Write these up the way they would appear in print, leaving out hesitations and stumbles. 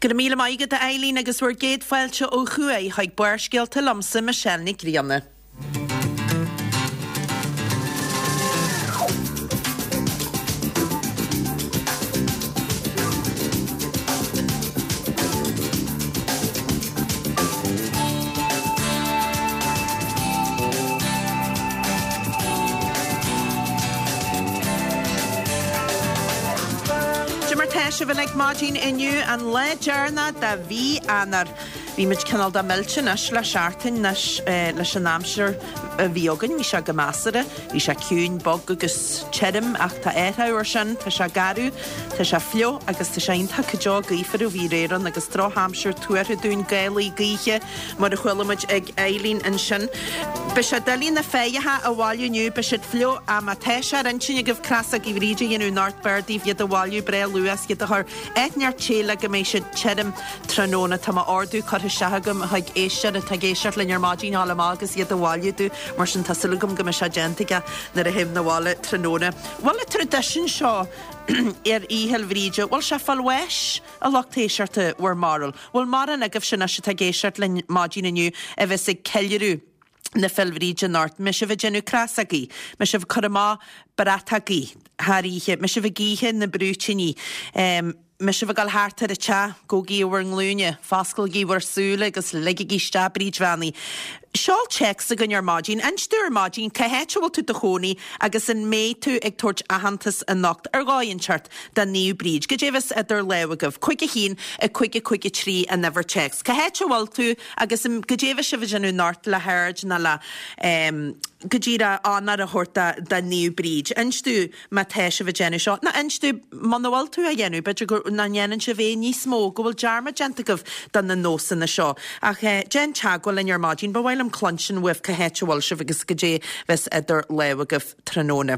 Go raibh míle maith agat a Eileen agus bhur gcéad fáilte ó thuaidh chuig Barrscéalta liomsa Michelle Nic Grianna. Cad é mar tá sibh uilig maidin inniu, an lá deireanach de mhí Eanáir. Bhí muid cineál de millte anois le seachtain anois leis an aimsir a bhí againn. Bhí sé go measartha, bhí sé ciúin, bog agus tirim ach tá athrú ar sin, tá sé garbh, tá sé fliuch agus tá sé iontach go deo gaofar ó bhí aréir ann agus drochaimsir tuartha dúinn, gálaí gaoithe mar a chuala muid ag Eileen ansin. Beidh sé doiligh na féitheacha a bhailiú inniu, beidh siad fliuch ach má tá sé ar intinn agaibh crosógaí Bhríde a dhéanamh anocht b'fhearr daoibh iad a bhailiú breá luath is iad a chur áit inteacht te le go mbeidh siad tirim tráthnóna. Tá m'ordú curtha isteach agam chuig éisteoir atá ag éisteacht linn ar maidin a ghabháil amach agus iad a bhailiú domh mar sin tá súil agam go mbeidh sé déanta aige nuair a théim 'na bhaile tráthnóna. Bhfuil an traidisiún seo ar Oíche Fhéil Bhríde, bhfuil sé ag fáil bháis? A lucht éisteachta, bhur mbarúil? Bhfuil mórán agaibhse anois atá ag éisteacht linn maidin inniu a bheas ag ceiliúradh na Féil Bhríde anocht? Mbeidh sibh ag déanamh crosógaí? Mbeidh sibh ag cur amach bratachaí thar oíche? Mbeidh sibh ag ithe na brúitíní? Mbeidh sibh ag dul thart ar an teach? Gabhaigí ar bhur nglúine, fosclaigí bhur súile agus ligigí isteach Bríd Bheannaithe. Seol téacs chugainn ar maidin. Inis dúinn ar maidin cá háit a bhfuil tú i do chónaí agus an mbeidh tú ag tabhairt aitheantas anocht ar dhóigh inteacht do Naomh Bríd. Goidé a bheas idir lámha agaibh. 5 1 5 5 3 an uimhir téacs. Cá háit a bhfuil tú agus goidé a bheas sibh ag déanamh anocht le haird nó le go díreach onóir a thabhairt do Naomh Bríd. Inis dúinn. Má tá sibh ag déanamh seo, nó inis dúinn muna bhfuil tú á dhéanamh, b'fhéidir go nach ndéanann sibh é níos mó, go bhfuil dearmad déanta agaibh de na nósanna seo. Ach déan teagmháil linn ar maidin, ba mhaith liom cluinstin uaibh cá háit a bhfuil sibh agus goidé bheas idir lámha agaibh tráthnóna.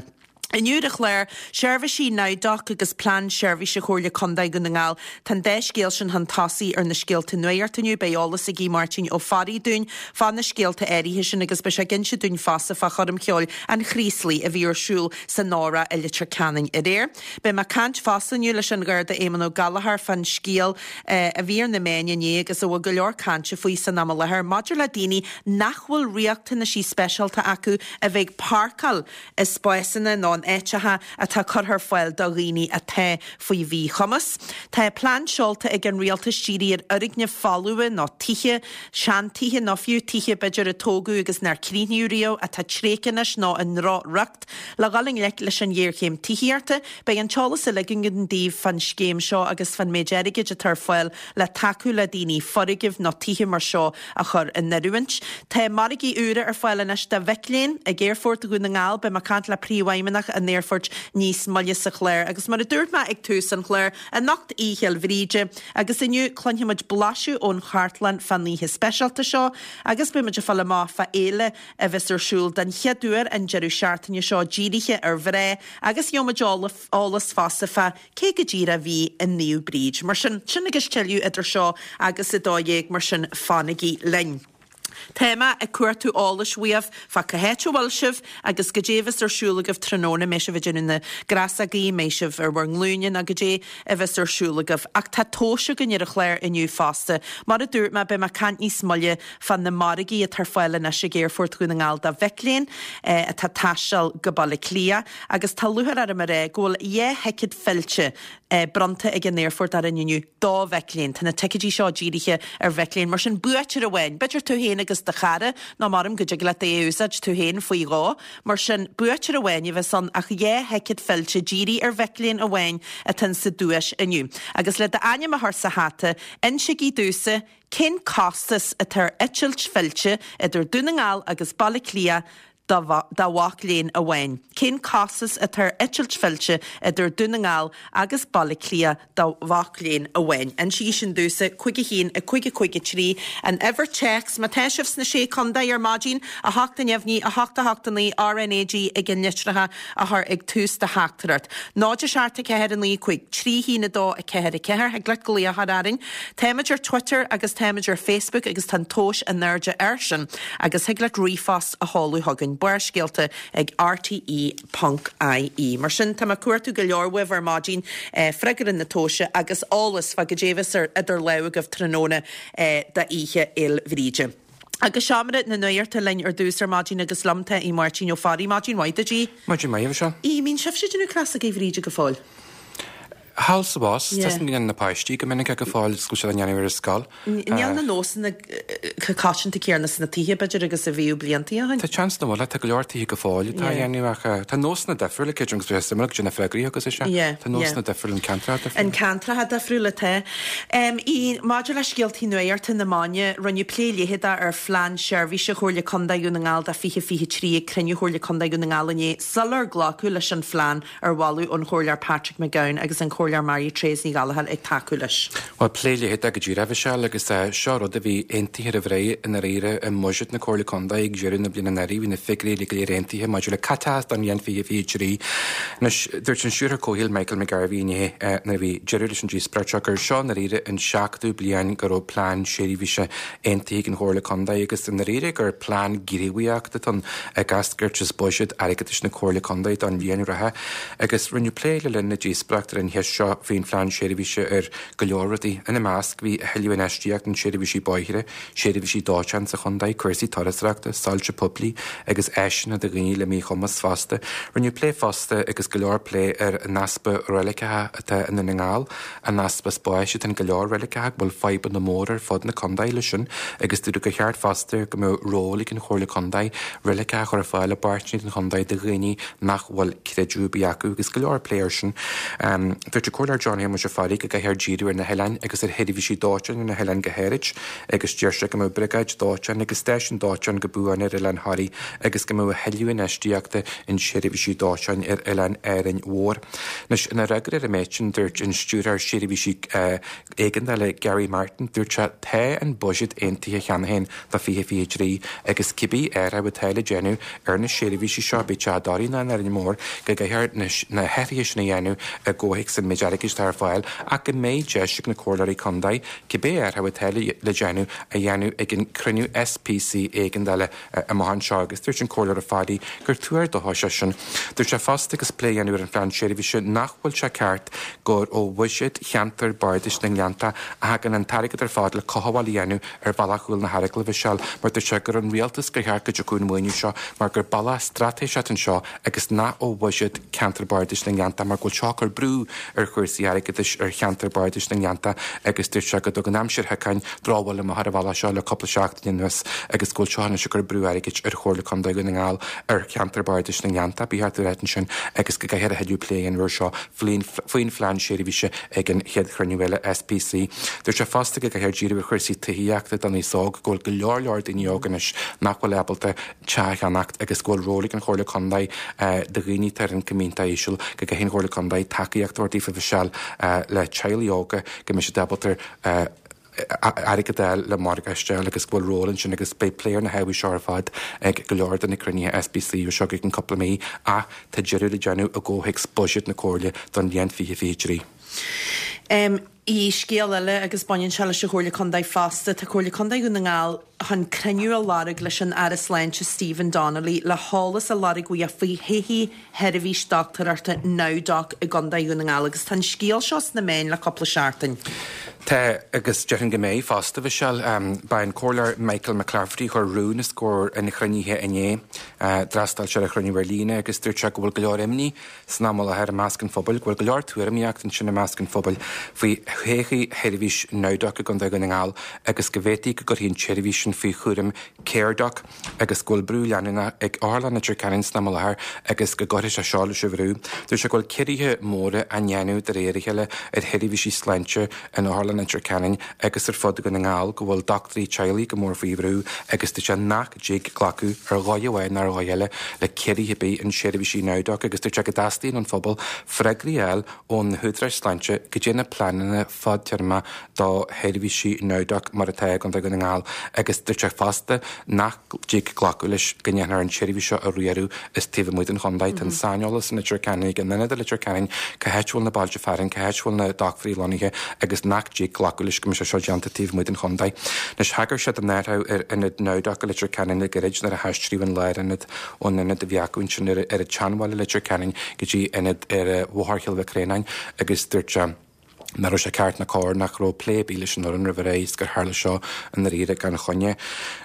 Inniu ar an chlár, seirbhísí NowDoc agus Plean Seirbhíse Chomhairle Contae Dhún na nGall. Tá an dá scéal sin chun tosaigh ar na scéalta nuachta inniu. Beidh eolas ag Máirtín Ó Fearraigh dúinn fá na scéalta áirithe sin agus beidh sé ag inse dúinn fosta fá choirm cheoil an Chraoslaigh a bhí ar siúl san Óra i Leitir Ceanainn aréir. Beidh mé ag caint fosta inniu leis an Gharda Éamonn Ó Gallchóir fán scéal a bhí ar na meáin inné agus a bhfuil go leor cainte faoi san am i láthair maidir le daoine nach bhfuil riachtanaisí speisialta acu a bheith ag páirceáil i spásanna nó in áiteacha atá curtha ar fáil do dhaoine atá faoi mhíchumas. Tá plean seolta ag an rialtas dírithe ar fhoirgnimh folmha nó tithe, seantithe nó fiú tithe b'fhéidir a tógadh agus nár críochnaíodh riamh, atá tréigthe anois nó i ndrochriocht. Le dhul i ngleic leis an ghéarchéim tithíochta, beidh an t-eolas uilig againn daoibh fán scéim seo agus fán méid airgid atá ar fáil le tacú le daoine foirgnimh nó tithe mar seo a chur in oiriúint. Tá margaí úra ar fáil anois do mhic léinn ag Aerfort Dhún na nGall. Beidh mé ag caint le Príomhfheidhmeannach an aerfoirt níos moille sa chlár. Agus mar a dúirt mé ag tús an chláir, anocht Oíche Fhéil Bhríde agus inniu cluinfidh muid blaiseadh ón chartlann fán oíche speisialta seo agus beidh muid ag fáil amach fá fhéile a bheas ar siúl den chéad uair an deireadh seachtaine seo dírithe ar mhná agus gheobhaidh muid eolas fosta fá cé go díreach a bhí i Naomh Bríd. Mar sin, sin agus tuilleadh idir seo agus 12, mar sin fanaigí linn. Tá mé ag cuartú eolais uaibh fá cá háit a bhfuil sibh agus goidé a bheas ar siúl agaibh tráthnóna, mbeidh sibh ag déanamh na gcrasógaí, mbeidh sibh ar bhur nglúine nó goidé a bheas ar siúl agaibh. Ach tá tomhais againn ar an chlár inniu fosta. Mar a dúirt mé, beidh mé ag caint níos moille fá na margaí atá ar fáil anois ag Aerfort Dhún na nGall do mhic léinn atá ag taisteal go Baile Átha Cliath agus tá lúcháir orm a rá go bhfuil 2 thicéad fillte bronnta ag an aerfort orainn inniu do mhic léinn. Tá na ticéidí seo dírithe ar mhic léinn, mar sin buaiteoir amháin, b'fhéidir tú féin agus do chara, nó maram go dtig leat é a úsáid tú féin faoi dhó. Mar sin, buaiteoir amháin a bheas ann ach 2 thicéad fillte dírithe ar mhic léinn amháin atá sa duais inniu. Agus le d'ainm a chur sa hata, insigí domhsa cén costas atá ar eitilt fillte idir Dún na nGall agus Baile Átha Cliath do mhac léinn amháin. Cén costas atá ar eitilt fillte idir Dún na nGall agus Baile Átha Cliath do mhac léinn amháin? Insígí sin domhsa, 5 1 5 5 3, an uimhir téacs. Má tá sibh sna Sé Contae ar maidin, 8 neamhní, 8 8 9, RnaG ag an litreacha a chur ag tús do theachtaireacht. 0 7 4 9 5 3 1 2 4 4 Thig leat glaoch a chur orainn. Táimid ar Twitter agus táimid ar Facebook agus tá an tomhas in airde air sin agus thig leat ríomhphost a sheoladh chugainn. Barrscéalta ag rte ponc ie. Mar sin, tá mé ag cuartú go leor uaibh ar maidin, freagra na tomhaise agus eolas fá goidé a bheas idir lámha agaibh tráthnóna d'Oíche Fhéil Bhríde. Agus seomra na nuachta linn ar dtús ar maidin agus liom tá Aodh Máirtín Ó Fearraigh. Maidin mhaith duit, Aodh. Maidin mhaith, a Mhichelle. Aodh, mbíonn sibhse ag déanamh crosógaí Bhríde go fóill? Thall is abhus, tá a fhios agam go ndéanann na páistí go minic é go fóill is go bhfuil siad á ndéanamh ar an scoil. Níl na nósanna chomh coitianta céanna sna tithe, b'fhéidir, agus a bhíodh blianta ó shin. Tá seans nach bhfuil, tá go leor tithe go fóill atá á dhéanamh ach tá nósanna difriúla, creidim agus bheadh sé suimiúil go dtí na freagraí agus is ea, tá nósanna difriúla, an ceantracha difriúla. An ceantracha difriúla, tá. Maidir le scéaltaí nuachta na maidine, rinneadh plé leitheadach ar Phlean Seirbhíse Chomhairle Contae Dhún na nGall do 2023 ag cruinniú Chomhairle Contae Dhún na nGall inné sular glacadh leis an phlean. ar mholadh ón Chomhairleoir Patrick McGowan agus an Comhairleoir Mary Therese Ní Ghallchóir ag tacú leis. Bhuel, plé leitheadach go díreach, a Mhichelle, agus seo rud a bhí aontaithe roimh ré i ndáiríre i mbuiséad na Comhairle Contae ag deireadh na bliana anuraidh. Bhí na figiúirí uilig go léir aontaithe maidir le caiteachas don bhliain 2023. Anois, dúirt an Stiúrthóir Comhshaoil Michael McGarvey inné nuair a bhí deireadh leis an díospóireacht seo gur seo i ndáiríre an seachtú bliain go raibh plean seirbhíse aontaithe ag an Chomhairle Contae agus i ndáiríre gur plean gníomhaíochta atá ann ag eascairt as buiséad airgeadais na Comhairle Contae don bhliain reatha agus rinneadh plé le linn na díospóireachta ar an cheist seo faoin phlean seirbhíse ar go leor rudaí. Ina measc bhí a thuilleadh infheistíocht in seirbhísí bóithre, seirbhísí dóiteáin sa chontae, cúrsaí turasóireachta, soilse poiblí agus áiseanna do dhaoine le míchumas fosta. Rinneadh plé fosta agus go leor plé ar an easpa reiligeacha atá i nDún na nGall An easpa spáis atá in go leor reiligeacha, go bhfuil fadhbanna móra ar fud na contae leis sin agus dúradh gur cheart fosta go mbeadh ról ag an Chomhairle Contae reiligeacha a chur ar fáil i bpáirteanna den chontae do dhaoine nach bhfuil creideamh ar bith acu agus go leor plé air sin. Dúirt an Comhairleoir John Shéamuis Ó Fearraigh go gcaithfear díriú ar na hoileáin agus ar sheirbhísí dóiteáin ar na hoileáin go háirid agus deir sé go mbeadh briogáid dóiteáin agus stáisiún dóiteáin go buan ar oileán Thoraí agus go mbeadh a thuilleadh infheistíochta in seirbhísí dóiteáin ar oileán Árainn Mhór. Anois, ina fhreagra ar an méid sin, dúirt an Stiúrthóir Seirbhísí Éigeandála Gary Martin, dúirt sé, Tá an buiséad aontaithe cheana féin do 2023 agus cibé athrú atá le déanamh ar na seirbhísí seo, bíodh sé i dToraigh nó in Árainn Mhór, go gcaithfear na hathruithe sin a dhéanamh i gcomhthéacs an méid airgid atá ar fáil ach go mbeidh deis ag na comhairleoirí contae cibé athrú atá le déanamh a dhéanamh ag an cruinniú SPC éigeandála amach anseo agus dúirt an Comhairleoir Ó Fearraigh gur tuar dóchais é sin. Dúirt sé fosta agus plé á dhéanamh ar an phlean seirbhíse nach bhfuil sé ceart gur ó bhuiséad cheantar bardais na nGleannta a thagann an t-airgead ar fad le cothabháil a dhéanamh ar Bhealach Chúil na hEaragaile, a Mhichelle, mar dúirt sé gur ón rialtas gur cheart go dtiocfadh an maoiniú seo mar gur bealach straitéiseach anseo agus nach ó bhuiséad cheantar bardais na nGleannta mar go bhfuil seo ag cur brú ar chúrsaí airgeadais ar cheantar bardais na nGleannta agus dúirt sé go dtugann aimsir shiocáin drochbhail amach ar an bhealach seo le cúpla seachtain anuas agus go bhfuil seo anois ag cur brú airgid ar Chomhairle Contae Dhún na nGall ar cheantar bardais na nGleannta, ba cheart a ráit ansin agus go gcaithfear a thuilleadh plé a dhéanamh air seo faoin phlean seirbhíse ag an chéad chruinniú eile SPC. Dúirt sé fosta go gcaithfear díriú ar chúrsaí tithíochta don aos óg, go bhfuil go leor leor daoine óga anois nach bhfuil ábalta teach a cheannacht agus go bhfuil ról ag an Chomhairle Contae do dhaoine atá ar ioncam iontach íseal, go gcaithfidh an Chomhairle Contae tacaíocht a thabhairt daofa a Mhichelle le teaghlaigh óga go mbeidh siad ábalta airgead a fháil le morgáiste a fháil agus go bhfuil ról ansin agus beidh plé ar na hábhair seo ar fad ag go leor de na cruinnithe SPC seo go ceann cúpla mí ach tá deireadh le déanamh i gcomhthéacs buiséad na Comhairle don bhliain 2023. I scéal eile, agus baineann sé leis an Chomhairle Contae fosta, tá Comhairle Contae Dhún na nGall chun cruinniú a lorg leis an Aire Sláinte Stephen Donnelly le heolas a lorg uaidh faoi thodhchaí sheirbhís dochtúireachta NowDoc i gContae Dhún na nGall agus tá an scéal seo sna meáin le cúpla seachtain. Tá, agus déarfainn go mbeidh fosta, a Mhichelle. Ba é an Comhairleoir Michael McClafferty a chuir rún os comhair an chruinnithe inné. D'fhreastail sé ar an chruinniú ar líne agus dúirt sé go bhfuil go leor imní San am i láthair i measc an phobail, go bhfuil go leor tuairimíocht ansin i measc an phobail faoi thodhchaí sheirbhís NowDoc i gContae Dhún na nGall agus go bhféadfaí go gcuirfí an tseirbhís sin faoi chúram CareDoc agus go bhfuil brú leanúnach ag Otharlann Leitir Ceanainn san am i láthair agus go gcuirfidh sé seo leis an bhrú. Dúirt sé go bhfuil ciorruithe móra á ndéanamh de réir a chéile ar sheirbhísí sláinte in Otharlann Leitir Ceanainn agus ar fud Dhún na nGall, go bhfuil dochtúirí teaghlaigh go mór faoi bhrú agus dúirt sé nach dtig glacadh ar dhóigh amháin ná ar dhóigh eile le ciorruithe ar bith in seirbhísí NowDoc agus dúirt sé go dteastaíonn ón phobal freagraí a fháil ó na húdaráis sláinte goidé na pleananna. fadtéarmach do sheirbhísí Nowdoc mar atá i gContae Dhún na nGall agus dúirt sé fosta nach dtig glacadh leis go ndéanfar an tseirbhís seo a riaradh as taobh amuigh den chontae. Tá an saineolas i Leitir Ceanainn ag an ionad i Leitir Ceanainn, cá háit a bhfuil na bailte fearainn, cá háit a bhfuil na dochtúirí lonnaithe agus nach dtig glacadh leis go mbeidh sé seo déanta taobh amuigh den chontae. Anois thagair sé don athrú ar ionad Nowdoc i Leitir Ceanainn le gairid nuair a haistríodh an lárionad ón ionad a bhí acu ansin ar an tSeanbhaile i Leitir Ceanainn go dtí ionad ar Bhóthar Chill Mhic Réanáin agus dúirt sé nach raibh sé ceart ná cóir nach raibh plé ar bith leis an fhoireann roimh ré is gur tharla seo i ndáiríre gan choinne.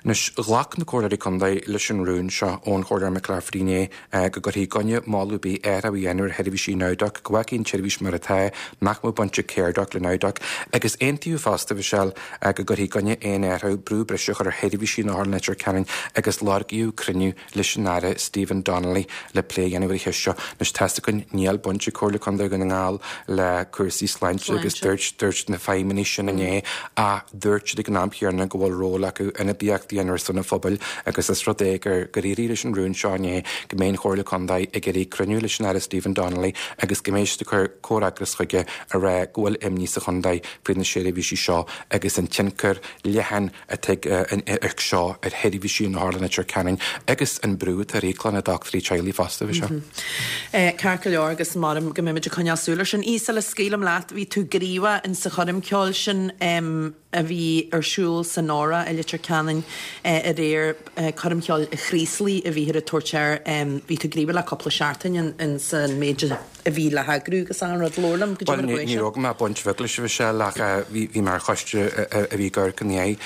Anois, ghlac na Comhairleoirí Contae leis an rún seo ón Chomhairleoir McClafferty inné go gcuirfí i gcoinne moladh ar bith athrú a dhéanamh ar sheirbhísí Nowdoc, go bhfágfaí an tseirbhís mar atá, nach mbeadh baint ag Caredoc le Nowdoc, agus aontaíodh fosta, Michelle, go gcuirfí i gcoinne aon athrú, brú breise a chur ar sheirbhísí in Otharlann Leitir Ceanainn agus lorgaíodh cruinniú leis an Aire Stephen Donnelly le plé a dhéanamh ar an cheist seo. Anois tá's againn, níl baint ag Comhairle Contae Dhún na nGall le cúrsaí sláinte agus dúirt, dúirt na feidhmeannaigh sin inné ach dúirt siad ag an am chéanna go bhfuil ról acu ionadaíocht a dhéanamh ar son an phobail agus is rud é gur, gur éirigh leis an rún seo inné go mbeidh an Chomhairle Contae ag iarraidh cruinniú leis an Aire Stephen Donnelly agus go mbeidh siad ag cur comhfhreagras chuige a rá go bhfuil imní sa chontae faoi na seirbhísí seo agus an tionchar leathan atá ag seo ar sheirbhísí in Otharlann Leitir Ceanainn agus an brú atá ar íoclann na dochtúirí teaghlaigh fosta, bhí sé. Ceart go leor agus maram go mbeimid ag coinneáil súil ar sin. Aoidh, sula scaoilim leat, bhí tú gníomhach in sa choirm ceoil sin a bhí ar siúl san Óra i Leitir Ceanainn aréir, Coirm Cheoil Chraoslaigh a bhíthear ag tabhairt air. Bhí tú gníomhach le cúpla seachtain in san méid a. a bhí le heagrú agus achan rud. Labhair liom goidé mar a Bhuel, chuaigh ní sé. raibh mé baint bheag leis a Mhichelle ach bhí mé ar choiste a bhí ag amharc ina dhiaidh.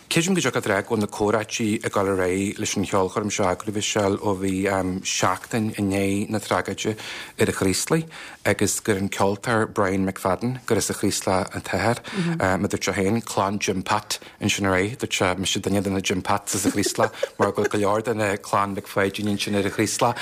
Creidim go dtiocfadh leat go bhfuil na comhráití ag dul ar aghaidh leis an cheolchoirm seo a eagrú, Michelle, ó bhí seachtain i ndiaidh na tragóide ar an Chraoslaigh agus gur an ceoltóir Brian McFadden, gur as an Chraoslach an t-athair, mar dúirt sé féin, clann Jim Pat, Ansin ar aghaidh, dúirt sé, mise duine de na Jim Pats as an Chraoslach, mar go bhfuil go leor de na clann Mhic Pháidín ansin ar an Chraoslach.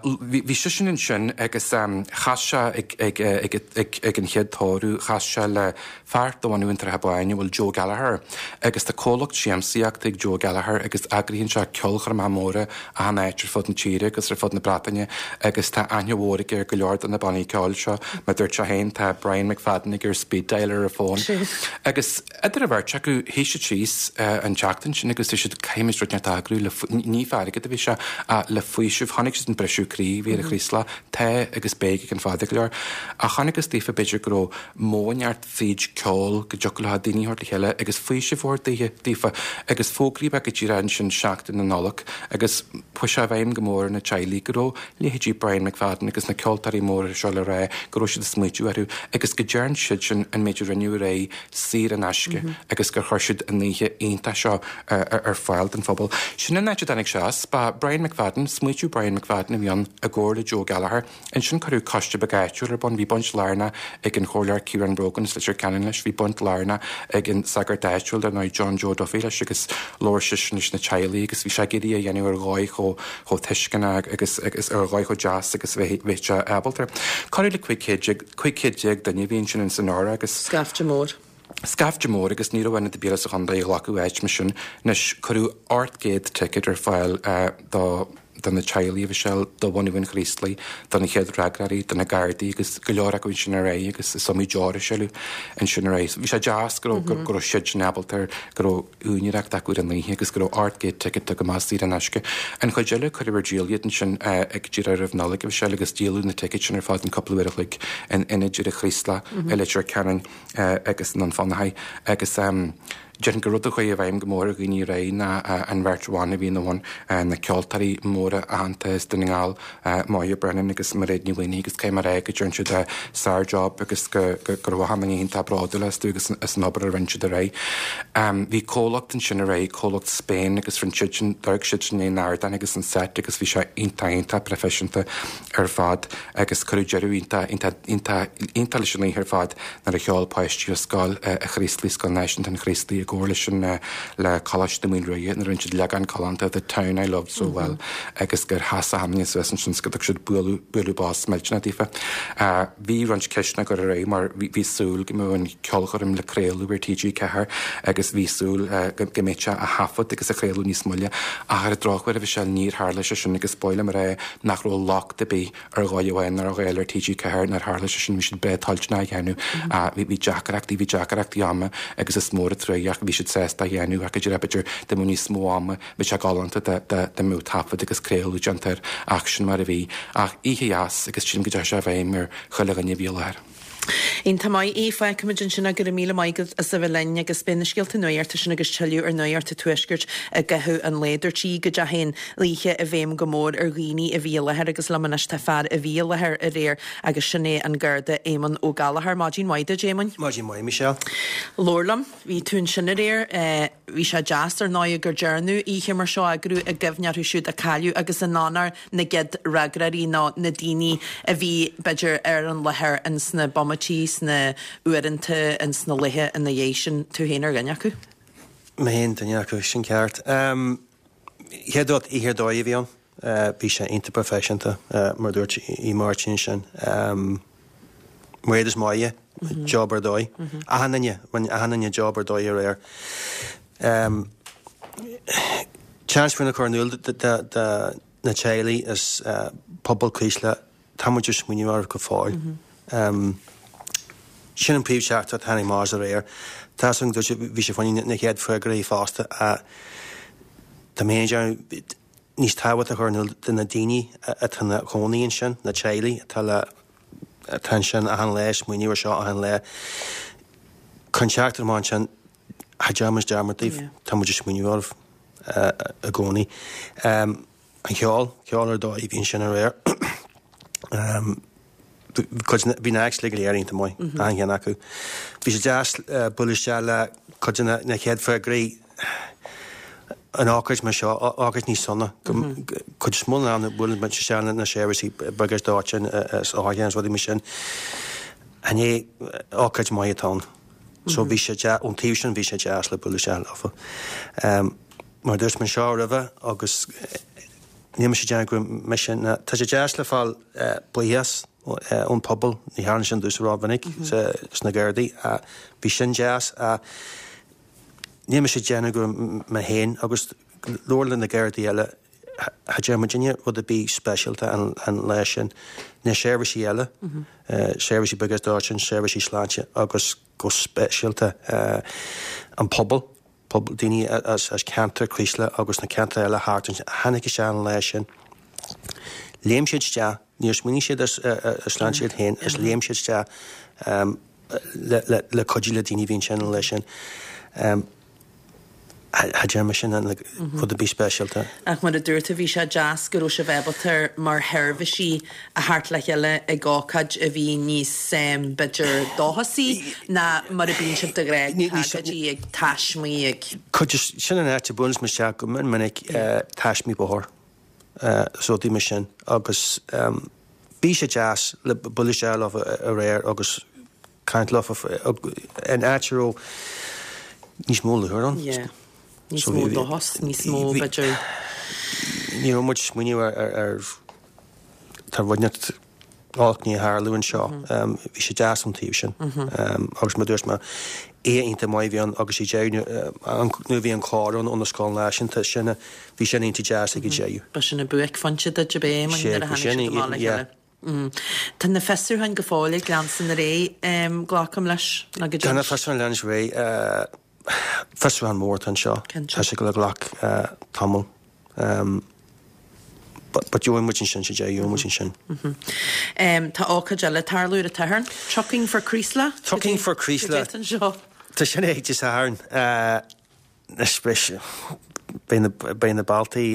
Bhí seisean ansin agus chas sé ag an chéad tórramh, chas sé le fear de bhunadh an tSratha Báin a bhfuil Joe Gallagher agus tá comhlacht siamsaíochta ag Joe Gallagher agus eagraíonn sé ceolchoirmeacha móra achan áit ar fud na tíre agus ar fud na Breataine agus tá aithne mhór aige ar go leor de na bannaí ceoil seo. Mar dúirt sé féin, tá Brian McFadden aige ar speed dial ar a fón. Agus Idir an bheirt acu, shuigh siad síos an tseachtain sin agus dúirt siad, caithfimid rud inteacht a eagrú le, ní fá airgead a bhí sé, ach le faoiseamh. Chonaic siad an briseadh croí a bhí ar an Chraoslach. Tá agus beidh ag an fada go leor. Ach chonacthas daofa b'fhéidir go raibh modh inteacht fríd ceol go dtiocfadh leo daoine a thabhairt le chéile agus faoiseamh a thabhairt daofa. Agus fógraíodh é go díreach ansin seachtain na Nollag agus chuaigh sé i bhfeidhm go mór ar na teaghlaigh go raibh leithéidí Brian McFadden agus na ceoltóirí móra seo le rá go raibh siad ag smaoitiú orthu agus go dtearn siadsan an méid a rinneadh aréir saor in aisce agus gur chuir siad an oíche iontach seo ar fáil don phobal. Sin an áit a dtáinig sé as. Ba Brian McFadden, smaoitiú Brian McFadden a bhí ann i gcomhar le Joe Gallagher. Ansin cuireadh coiste beag áitiúil ar bun. Bhí baint lárnach ag an Chomhairleoir Ciarán Brogan as Leitir Ceanainn leis, bhí baint lárnach ag an sagart áitiúil dar ndóigh John Joe Duffy leis agus labhair seisean leis na teaghlaigh agus bhí sé ag iarraidh é a dhéanamh ar dhóigh chomh chomh tuisceanach agus agus ar dhóigh chomh deas agus a bheadh sé ábalta. Corradh le 15 céad duine a bhí ansin in san Óra agus. Scaifte mór. Scaifte mór agus ní raibh ionad ar bith eile sa chontae a ghlacfadh áit mar sin. Anois, cuireadh 800 ticéad ar fáil do do na teaghlaigh a Mhichelle, do bhunadh an Chraoslaigh, do na chéad fhreagróirí, do na Gardaí agus go leor acu ansin ar aghaidh agus is iomaí deoir a sileadh ansin ar aghaidh. So bhí sé deas go raibh go raibh siad sin ábalta go raibh úinéireacht acu ar an oíche agus go raibh 800 ticéad tugtha amach saor in aisce. An chuid eile, cuireadh ar díol iad ansin ag díreach roimh Nollaig, a Mhichelle, agus díoladh na ticéid sin ar fad in cúpla uair a chloig in ionaid ar an Chraoslach, i Leitir Ceanainn agus i nDún Fionnachaidh. Agus déarfainn gur rud a chuaigh i bhfeidhm go mór ar dhaoine aréir ná an bheirt bhan a bhí ina bhun, na ceoltóirí móra aitheanta as Dún na nGall, Moya Brennan agus Mairéad Ní Mhaonaigh agus caithfidh mé a rá go dtearn siad sár-job agus go raibh achan duine iontach bródúil astu agus as an obair a rinne siad aréir. Bhí comhlacht ansin aréir, comhlacht Spain agus rinne siadsan, d'amharc siadsan ar an ardán agus an set agus bhí sé iontach iontach proifisiúnta ar fad agus cuireadh deireadh iontach iontach iontach iontach leis an oíche ar fad nuair a cheol páistí ó Scoil an Chraoslaigh, Scoil Náisiúnta an Chraoslaigh. i gcomhar leis an le Coláiste na Maoile Ruaidhe nuair a rinne siad leagán galánta The Town I Loved So Well agus gur sheas achan duine suas ansin 's go dtug siad bualadh bualadh bos millteanach daofa. Bhí roinnt ceisteanna ag dul ar aghaidh mar bhí súil go mbeadh an ceolchoirm le craoladh ar TG4 agus bhí súil go mbeadh sé á thaifead agus á chraoladh níos moille ach ar an drochuair a Mhichelle níor tharla sé sin agus ba mhaith liom a rá nach raibh locht ar bith ar dhóigh amháin ná ar dhóigh eile ar TG4 nár tharla sé sin bhí siad breá toilteanach a dhéanamh bhí bhí deacrachtaí bhí deacrachtaí ama agus is mór an truaigh ach bhí siad sásta a dhéanamh ach go deimhin b'fhéidir dá mbeadh níos mó ama Bhí sé galánta dá mbeadh taifead agus craoladh déanta air ach sin mar a bhí. Ach oíche dheas agus sílim go dteachaigh sé i bhfeidhm ar chuile dhuine a bhí i láthair. Iontach maith é. Fágfaimid ansin é. Go raibh míle maith agat as a bheith linn agus beidh na scéalta nuachta sin agus tuilleadh ar Nuacht an Tuaiscirt i gcaitheamh an lae. Dúirt sí go dteachaigh an oíche i bhfeidhm go mór ar dhaoine a bhí i láthair agus liom anois tá fear a bhí i láthair aréir agus sin é an Garda Éamonn Ó Gallchóir. Maidin mhaith duit, Éamoinn. Maidin mhaith, Michelle. Labhair liom. Bhí tú ansin aréir. Bhí sé deas, ar ndóigh, gur dearnadh oíche mar seo a eagrú i gcuimhne orthu siúd a cailleadh agus in onóir na gcéad fhreagróirí nó na daoine a bhí, b'fhéidir, ar an láthair ins na bomaití, sna uaireanta, ins na laetha ina dhiaidh sin. Tú féin ar dhuine acu? Mé féin duine acu, sin ceart. Chéad rud, oíche ar dóigh a bhí ann. Bhí sé iontach proifisiúnta, mar a dúirt Aodh Máirtín ansin. Mar is maith, job ar dóigh. Achan duine, rinne achan duine job ar dóigh aréir. Seans faoina chur in iúl do na teaghlaigh is pobal Creeslough, tá muid ag smaoineamh oraibh go fóill. Sin an príomh-theachtaireacht a tháinig amach as aréir. Tá 's agam go dúirt bhí sé fá choinne na chéad freagraí fosta. Tá mé féin ag déanamh níos tábhachtaí a chur in iúl do na daoine atá ina chónaí ansin, na teaghlaigh atá le atá ansin achan lá, ag smaoineamh ar seo achan lá. Cuir an teachtaireacht amach ansin, cha dtearn muid dearmad daoibh, tá muid ag smaoineamh oraibh i gcónaí. An cheol, ceol ar dóigh a bhí ansin aréir. Cuid, bhí na acts uilig go léir iontach maith, achan cheann acu. Bhí sé deas bualadh isteach le cuid de na chéad freagraí in ócáid mar seo, ócáid níos sona. Cuid is mó den am buaileann muid isteach le na seirbhísí briogáid dóiteáin is otharchairr is rudaí mar sin. Inné, ócáid maith atá ann. So bhí sé deas, ón taobh sin bhí sé deas le bualadh isteach leofa. Mar a dúirt mé anseo roimhe agus níl mise ag déanamh go raibh mise ná tá sé deas le fáil buíochas ón pobal, ní tharlaíonn sin domhsa rómhinic sna Gardaí ach bhí sin deas ach níl mise ag déanamh go raibh mé féin agus leor le na Gardaí eile cha dtearn muidinne rud ar bith speisialta an lá sin. Na seirbhísí eile, seirbhísí briogáid dóiteáin, seirbhísí sláinte agus go speisialta an pobal. pobal, daoine as ceantar Chraoslaigh agus na ceantair eile thart ansin a tháinig isteach an lá sin. Léim siad isteach, níor smaoinigh siad ar a sláinte iad féin is léim siad isteach le cuidiú le daoine a bhí ansin an lá sin. Cha dtearn mise rud ar bith speisialta. Ach mar a dúirt tú, bhí sé deas go raibh sibh ábalta mar sheirbhísí a theacht le chéile ag ócáid a bhí níos, b'fhéidir, dóchasaí ná mar a bíonn sibh de ghnáth ag tragóidí, ag taismí, ag. Cuid de, sin an áit a buaileann muid isteach go mion minic, taismí bóthair is rudaí mar sin agus bhí sé deas le bualadh isteach leo aréir agus caint leo in áit a raibh níos mó lúcháir ann. Yeah. Níos mó dóchas, níos mó, b'fhéidir. Ní raibh muid ag smaoineamh ar tá rud inteacht olc i ndiaidh tarlú anseo. Bhí sé deas ón taobh sin. Agus mar a dúirt mé, oíche iontach maith a bhí ann agus ag deireadh nuair a bhí an cór ann ó na Scoil Náisiúnta sin bhí sin iontach deas ag an deireadh. Ba sin an buaicphointe duit ab é, nuair a tháinig siad amach le chéile. Tá na fiosrúcháin go fóill ag leanstan ar aghaidh, glacaim leis, nó go Tá na fiosrúcháin ag leanstan ar aghaidh. Fiosrúchán mór atá anseo. Tá sé ag dul a ghlac tamall. But gheobhaidh muid ansin sa deireadh, gheobhaidh muid ansin. Tá ócáid eile ag tarlú ar an tSatharn, Trucking for Creeslough. Trucking for Creeslough. Cad é anseo? Tá sin ag Dé Sathairn. Anois beidh na, beidh na bealtaí,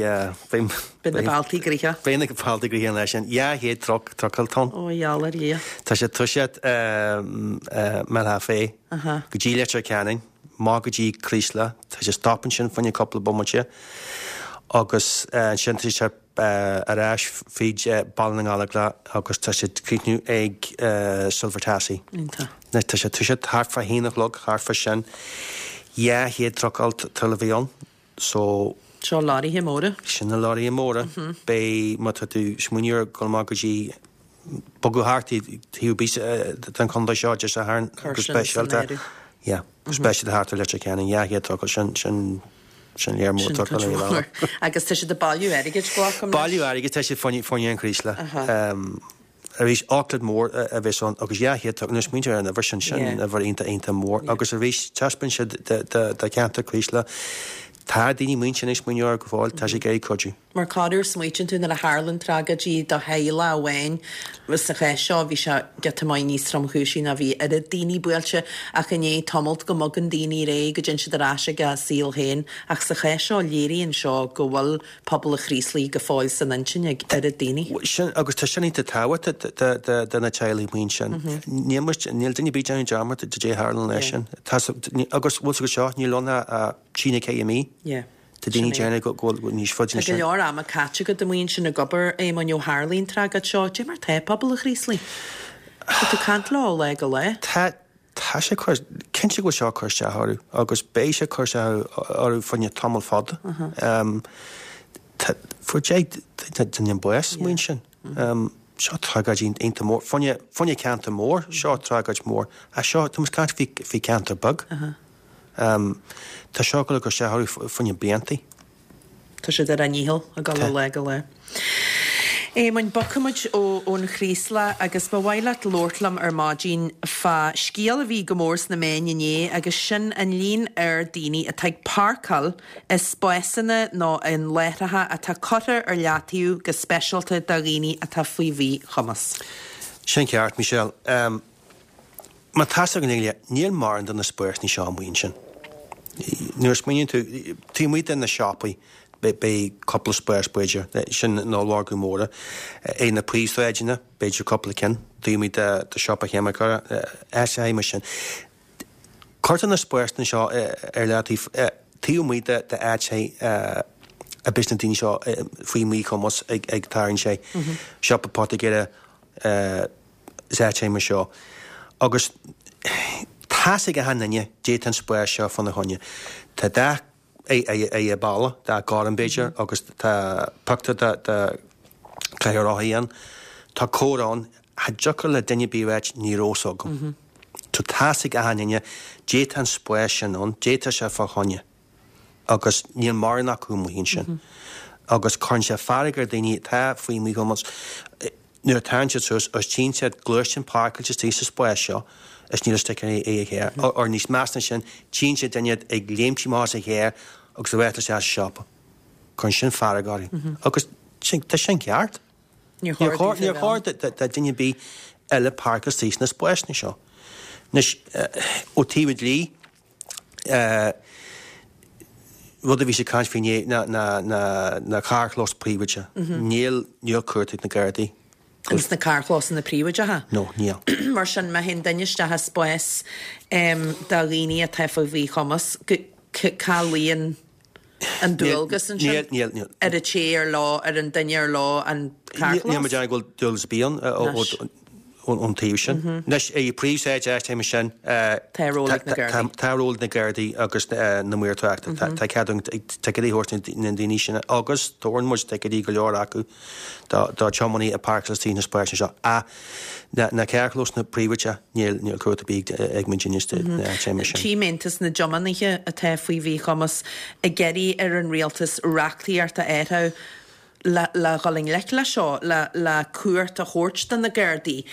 beidh, Beidh na bealtaí gnoitheach. Beidh na bealtaí gnoitheach an lá sin. 200 truc, trucail atá ann. Ó, gheall ar Dhia. Tá sé ag toiseacht Mill Half Way go dtí Leitir Ceanainn, amach go dtí Creeslough. Tá sé ag stop ansin fá choinne cúpla bomaite agus ansin tá sé ar ais fríd Baile na nGallóglach agus tá sé ag críochnú ag Silver Tassie. Iontach. Tá sé ag toiseacht thart fá haon a chlog, thart fá sin. 200 trucail le bheith ann so. Seo leoraithe móra. Sin na leoraithe móra. Beidh, má tá tú ag smaoineamh ar dhul amach go dtí, bogadh thart taobh ar bith den chontae seo Dé Sathairn Cuir go sin san speisialta, áireamh. yeah, go speisialta thart ar Leitir Ceanainn, 200 trucail, sin, sin, sin léar mór Sin trucail cuid ar mhór. bhealach. Agus tá siad ag bailiú airgid, glacaim leis. Bailiú airgid, tá siad fá choinne an Chraoslaigh. Arís, ócáid mhór a bheas ann agus 200 trucail, nuair a smaointear ar an uimhir sin, sin uimhir iontach, iontach mór. Agus arís, taispeánann siad do cheantar Chraoslaigh, tá daoine amuigh ansin ag smaoineamh air go fóill, tá siad ag iarraidh cuidiú. Mar corruair smaoitíonn tú nuair a tharlann tragóidí do theaghlach amháin, sa chás seo bhí sé giota maith níos tromchúisí ná bhí oiread daoine buailte ach i ndiaidh tamalt go mbogann daoine ar aghaidh, go dtéann siad ar ais ag a saol féin ach sa chás seo léiríonn seo go bhfuil pobal an Chraoslaigh go fóill san intinn ag oiread daoine. Sin, agus tá sin iontach tábhachtach do na teaghlaigh amuigh ansin. Níl muid, níl duine ar bith ag déanamh dearmad de dé tharla leis sin. Tá, agus bhfuil 's agat seo, níl ann ach trí nó 4 mí. Tá daoine ag déanamh go bhfuil níos faide Tá ná go sin. leor ama caite agat amuigh ansin ag obair, Éamoinn, ó tharlaigh an tragóid seo. Dé mar tá pobal an Chraoslaigh? Tá tú ag caint leo ó lá go lá. Tá, Tá sé cur, cinnte go bhfuil seo ag cur isteach orthu agus beidh sé ag cur isteach orthu fá choinne tamall fada. Tá, fuair 10 duine bás amuigh ansin. Seo tragóid iontach mór. Fá choinne, fá choinne ceantar mór, seo tragóid mór. Ach seo, tá muid ag caint faoi, faoi ceantar beag. Tá seo ag dul ag cur isteach orthu fá choinne bliantaí. Tá siad ar a ndícheall ag dul ó lá go lá. Éamoinn, bogfaimid ón Chraoslach agus ba mhaith leat labhairt liom ar maidin fá scéal a bhí go mór sna meáin inné agus sin an líon ard daoine atá ag páirceáil i spásanna nó in láithreacha atá curtha ar leataobh go speisialta do dhaoine atá faoi mhíchumas. Sin ceart, Michelle. Má tá 's againn uile, níl mórán de na spásanna seo amuigh ansin. Nuair a smaoiníonn tú, taobh amuigh de na siopaí, beidh cúpla spás b'fhéidir, sin na ollmhargaí móra. Ar na príomhshráideanna, b'fhéidir cúpla ceann, taobh amuigh de siopa cheimiceora, áiteacha mar sin. Cuirtear na spásanna seo ar leataobh taobh amuigh de áiteacha a bíos na daoine seo faoi mhíchumas ag tarraingt sé. Siopa poitigéara, is áiteacha mar seo agus tá's ag achan duine dé tá an spás seo fána choinne. Tá dath ar an balla, dath gorm b'fhéidir, agus tá pictiúr de de chathaoir rothaí ann. Tá comhartha ann, cha dtiocfadh le duine ar bith a ráit ní raibh 's agam. So tá's ag achan duine dé tá an spás sin ann, dé tá sé fá choinne. Agus níl mórán acu amuigh ansin. Agus cuireann sé fearg ar daoine atá faoi mhíchumas. Nuair a thagann siad suas is tchíonn siad gluaisteán páirceáilte istigh sa spás seo is níl sticker ar an charr. Or níos measa ná sin, tchíonn siad duine ag léimt amach as an charr agus ag rith isteach sa siopa. Cuireann sin fearg orthu. Agus tá sin ceart. Níor chóir Níor chóir do duine ar bith eile páirceáil istigh sna spásanna seo. Anois, ó taobh an dlí, Rud a bhí siad ag caint faoi inné ná na carrchlóis príobháideacha. Níl, níl cumhacht ag na Gardaí. Ins na carrchlósanna príobháideacha? No, níl. Mar sin, má théann duine isteach i spás do dhaoine atá faoi mhíchumas, cá luíonn an dualgas ansin? Níl, níl, níl. Ar an té ar leo, ar an duine ar leo an carrchlós? Níl mé ag déanamh go bhfuil dualgas ar bith ann ón taobh sin. Anois, i bpríomhshráid áiteacha mar sin, Tá ról ag na Gardaí. Tá ról ag na Gardaí agus na maoir tráchta. Tá cead againn ticéidí a thabhairt na ndaoine sin agus tabharann muid ticéidí go leor acu do tiománaithe a páirceáil istigh sna spásanna seo. Ach na carrchlósanna príobháideacha, níl cumhacht ar bith ag muidinne sna áiteacha mar sin. Tchím Aontas na dTiománaithe atá faoi mhíchumas ag iarraidh ar an rialtas reachtaíocht a athrú le le dhul i ngleic leis seo, le le cumhacht a thabhairt do na Gardaí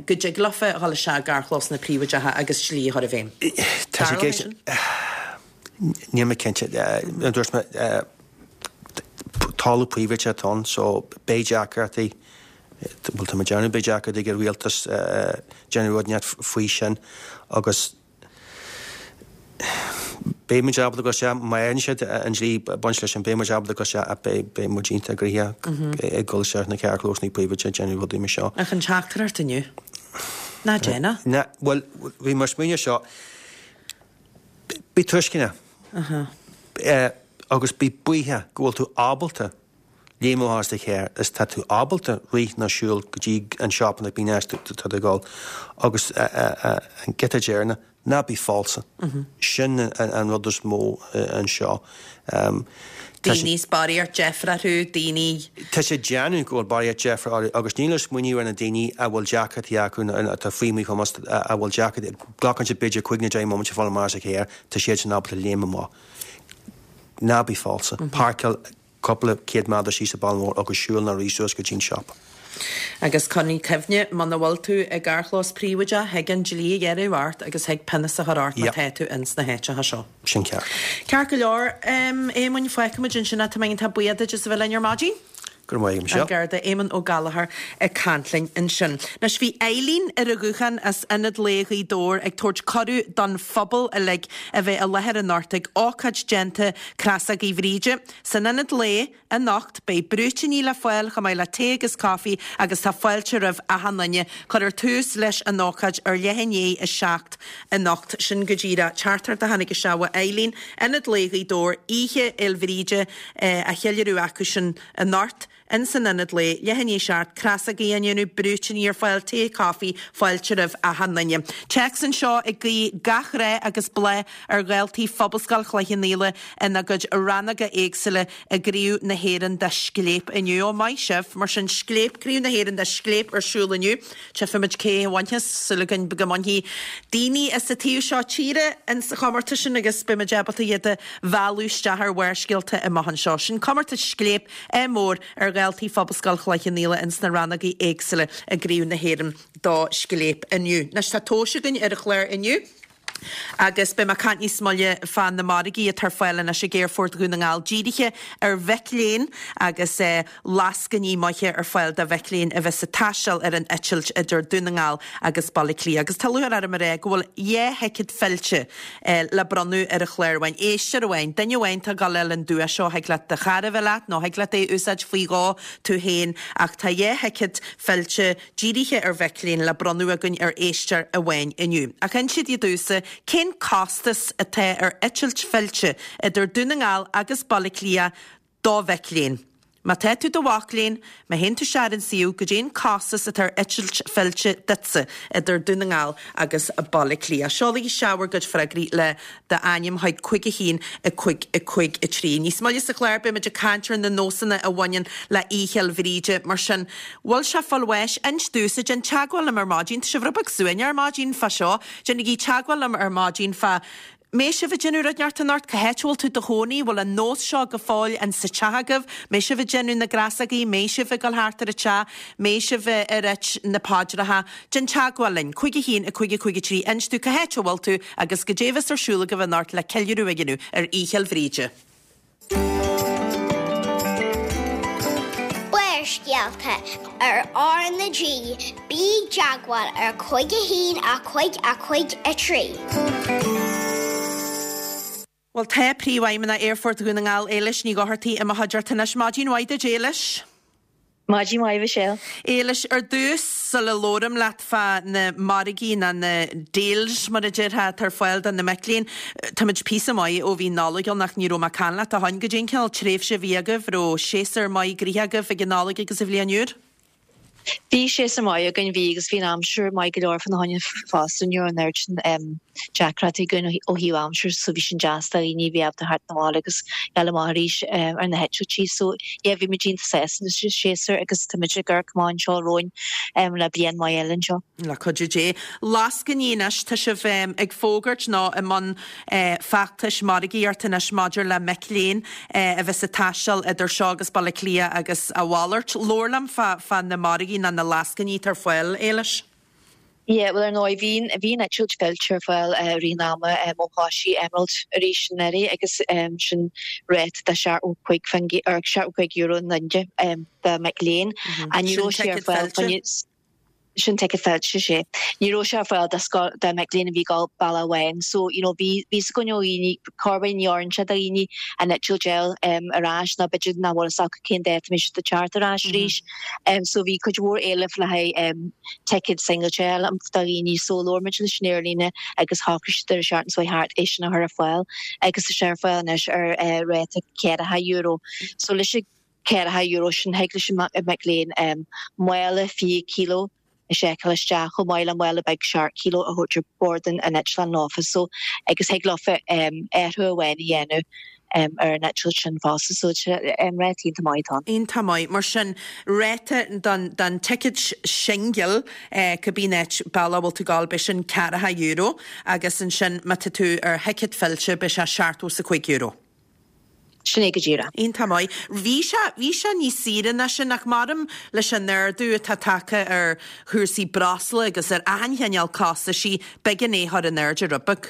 go dtig leofa dhul isteach i gcarrchlósanna príobháideacha agus dlí a chur i bhfeidhm. Tá sé Tarlóidh sin? Níl mé cinnte. Mar a dúirt mé, talamh príobháideach atá ann so beidh deacrachtaí, bhuel tá mé ag déanamh beidh deacrachtaí ag an rialtas déanamh rud inteacht faoi sin agus Beidh muid ábalta dul isteach, má fhaigheann siad an dlí baint leis sin, beidh muid ábalta dul isteach ach beidh muid iontach gnoitheach ag dul isteach sna carrchlósanna príobháideacha ag déanamh rudaí mar seo. Ach an teachtaireacht inniu? Ná déan é. Ná, bhuel, bhí mé ag smaoineamh seo, bí tuisceanach agus bí buíoch go bhfuil tú ábalta léim amach as do charr is tá tú ábalta rith nó siúl go dtí an siopa nó cibé áit tá tú ag dul agus an giota deireanach. Ná bí falsa. Sin an rud is mó anseo. Daoine is barraíocht deifre orthu, daoine. Tá sé ag déanamh go bhfuil barraíocht deifre orthu agus níl ag smaoineamh ar na daoine a bhfuil deacrachtaí acu nó atá faoi mhíchumas a bhfuil deacrachtaí, glacann sé b'fhéidir 5 nó 10 mbomaite fáil amach as an charr, tá siadsan ábalta léim amach. Ná bí falsa. Páirceáil. cúpla céad méadar síos an bealach mór agus siúl nó rith suas go dtí an siopa. Agus coinnigh cuimhne, muna bhfuil tú i gcarrchlós príobháideach, thig an dlí a ghearradh ort agus thig pionós a chur ort má tá tú ins na háiteacha seo. Sin ceart. Ceart go leor, Éamoinn, fágfaimid ansin é. Tá mé iontach buíoch duit as a bheith linn ar maidin. Go raibh maith agat, Michelle. An Garda Éamonn Ó Gallchóir ag caint linn ansin. Anois bhí Eileen ar an ghuthán as Ionad Lae Ghaoth Dobhair ag tabhairt cuireadh don phobal uilig a bheith i láthair anocht ag ócáid déanta Crosógaí Bhríde. San Ionad Lae anocht beidh brúitíní le fáil chomh maith le tae agus caife agus tá fáilte roimh achan duine. Cuirfear tús leis an ócáid ar leath i ndiaidh 7 anocht. Sin go díreach teachtaireacht a tháinig isteach ó Eileen, Ionad Lae Ghaoth Dobhair, Oíche Fhéil Bhríde á cheiliúradh acu sin anocht ins an Ionad Lae, leath i ndiaidh 7, crosógaí á ndéanamh, brúitíní ar fáil, tae, caife, fáilte roimh achan duine. Téacs anseo ag guí gach rath agus bláth ar dhaltaí Phobalscoil Chloich Cheann Fhaola ina gcuid rannóga éagsúla i gCraobh na hÉireann de Scléip inniu. Ó, maith sibh! Mar sin, Scléip, Craobh na hÉireann de Scléip ar siúl inniu. Tchífimid cé a bhainfeas, súil againn go mbainfidh daoine as an taobh seo tíre ins an chomórtas sin agus beimid ábalta iad a mhealladh isteach ar Bharrscéalta amach anseo. Sin comórtas Scléip ádh mór ar dhaltaí Phobalscoil Chloich Cheann Fhaola ins na rannógaí éagsúla i gCraobh na hÉireann do Scléip inniu. Anois tá tomhais againn ar an chlár inniu. Agus beidh mé ag caint níos moille fá na margaí atá ar fáil anois ag Aerfort Dhún na nGall dírithe ar mhic léinn agus lascainí maithe ar fáil do mhic léinn a bheas ag taisteal ar an eitilt idir Dún na nGall agus Baile Átha Cliath. Agus tá lúcháir orm a rá go bhfuil 2 thicéad fillte le bronnadh ar an chlár amháin. Éisteoir amháin, duine amháin atá ag dul a fháil an dua seo, thig leat do chara a bheith leat nó thig leat é a úsáid faoi dhó tú féin ach tá 2 thicéad fillte dírithe ar mhic léinn le bronnadh againn ar éisteoir amháin inniu. Ach insígí domhsa, cén costas atá ar eitilt fillte idir Dún na nGall agus Baile Átha Cliath do mhic léinn? Má tá tú i do mhac léinn, má théann tú isteach ar an suíomh, goidé an costas atá ar eitilt fillte duitse idir Dún na nGall agus Baile Átha Cliath? Seolaigí isteach bhur gcuid freagraí le d'ainm chuig 5 1 5 5 3. Níos moille sa chlár beimid ag caint ar na nósanna a bhaineann le Oíche Fhéil Bhríde. Mar sin, bhfuil sé fáil bháis? Inis domhsa, déan teagmháil liom ar maidin, tá sibh rud beag suaimhneach ar maidin fá seo, déanaigí teagmháil liom ar maidin fá mbeidh sibh ag déanamh rud inteacht anocht, cá háit a bhfuil tú i do chónaí, bhfuil an nós seo go fóill in sa teach agaibh, mbeidh sibh ag déanamh na gcrasógaí, mbeidh sibh ag dul thart ar an teach, mbeidh sibh ag ráit na paidreacha. Déan teagmháil linn, 5 1 5 5 3, inis dúinn cá háit a bhfuil tú agus goidé a bheas ar siúl agaibh anocht le ceiliúradh a dhéanamh ar Oíche Fhéil Bhríde. Barrscéalta ar R na G, bí i dteagmháil ar 5 1 5 5 3. Bhuel tá Príomhfheidhmeannach Aerfort Dhún na nGall, Éilis Ní Dhochartaigh, i mo chuideachta anois. Maidin mhaith duit, Éilis. Maidin mhaith, Michelle. Éilis, ar dtús, sula labhraim leat fá na margaí nó na deals, mar a déarfá, atá ar fáil do na mic léinn, táimid píosa maith ó bhí Nollaig ann ach ní raibh mé ag caint leat ó shoin. Goidé an cineál tréimhse a bhí agaibh, raibh séasúr maith gnoitheach agaibh ag an Nollaig agus an Bhliain Úr? Bhí séasúr maith againn, bhí, agus bhí an aimsir maith go leor fá na choinne fosta, ní raibh an oiread sin deacrachtaí againn ó thaobh aimsire so bhí sin deas do dhaoine a bhí ábalta theacht 'na bhaile agus dul amach arís ar na heitiltí. So yeah bhí muid iontach sásta leis an séasúr agus tá muid ag amharc amach anseo romhainn le bliain mhaith eile anseo. Le cuidiú Dé. Lascainí anois, tá sibh ag fógairt nó i mbun feachtais margaíochta anois maidir le mic léinn a bheas ag taisteal idir seo agus Baile Átha Cliath agus a mhalairt. Labhair liom fá na margaí nó na lascainí atá ar fáil, Éilis. Yeah, bhuel ar ndóigh bhí bhí an eitilt fillte ar fáil i rith an ama ó thosaigh Emerald arís anuraidh agus sin ráta de 75 or €75 an duine do mhic léinn. Ní Sin raibh sé ar ticéad fáil fillte? Sin ticéad fillte, sea. Ní raibh sé ar fáil do scoil do mhic léinn a bhí ag dul bealach amháin so you know bhí bhí fhios againn ó dhaoine corruair ní oireann sé do dhaoine an eitilt a fháil ar ais nó b'fhéidir nach bhfuil fhios acu cén dáta a mbeidh siad ag teacht ar ais arís. So bhí cuid mhór éilimh le haghaidh ticéad singailte a fháil do dhaoine so labhair muid leis an aerlíne agus shocraigh siad ar an seachtain seo thart é sin a chur ar fáil agus tá sé ar fáil anois ar ráta €40. So leis an €40 sin thig leis an mac léinn mála 20 kilo. A seiceáil isteach, chomh maith le mála beag 7 kilo a thabhairt ar bord an eitleáin leofa so agus thig leofa athrú amháin a dhéanamh ar an eitilt sin fosta so ráta iontach maith atá ann. Iontach maith. Mar sin, ráta don don ticéad singil cibé áit bealach a bhfuil tú ag gabháil beidh sin €40 agus ansin má tá tú ar thicéad fillte beidh sé €75. Sin é go díreach. Iontach maith. Bhí sé, bhí sé níos saoire ná sin ach maram leis an ardú atá tagtha ar chúrsaí breosla agus ar achan chineál costaisí, b'éigean é a chur in airde rud beag.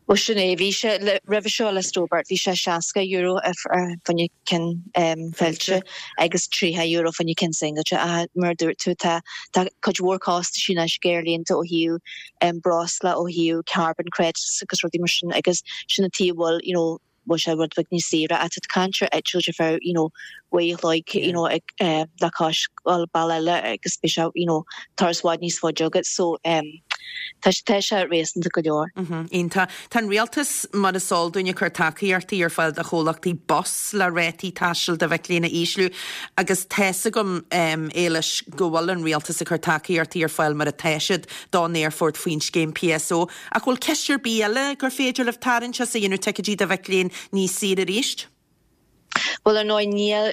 Bhuel sin é, bhí sé, roimhe seo le Stobart, bhí sé €60 fá choinne ceann fillte agus €30 fá choinne ceann singilte ach mar a dúirt tú tá, tá cuid mhór costaisí anois ag aerlínte ó thaobh breosla, ó thaobh carbon credits agus rudaí mar sin agus sin an tuige a bhfuil, you know, bhfuil sé rud beag níos saoire ach tá tú ag caint ar eitilt ar feadh you know uair a chloig you know ag eh le cois dul bealach eile agus beidh sé you know turas i bhfad níos faide agat so em tá sé tá sé réasúnta go leor. Mhm, iontach. Tá an rialtas, mar is eol dúinn, ag cur tacaíochtaí ar fáil do chomhlachtaí bus le rátaí taistil do mhic léinn a ísliú agus tá's agam, em, Éilis, go bhfuil an rialtas ag cur tacaíochtaí ar fáil mar atá siad don aerfort faoin scéim PSO. Ach bhfuil ciste ar bith eile gur féidir libh tarraingt as a dhéanamh ticéidí do mhic léinn níos saoire arís? Bhuel, ar ndóigh, níl,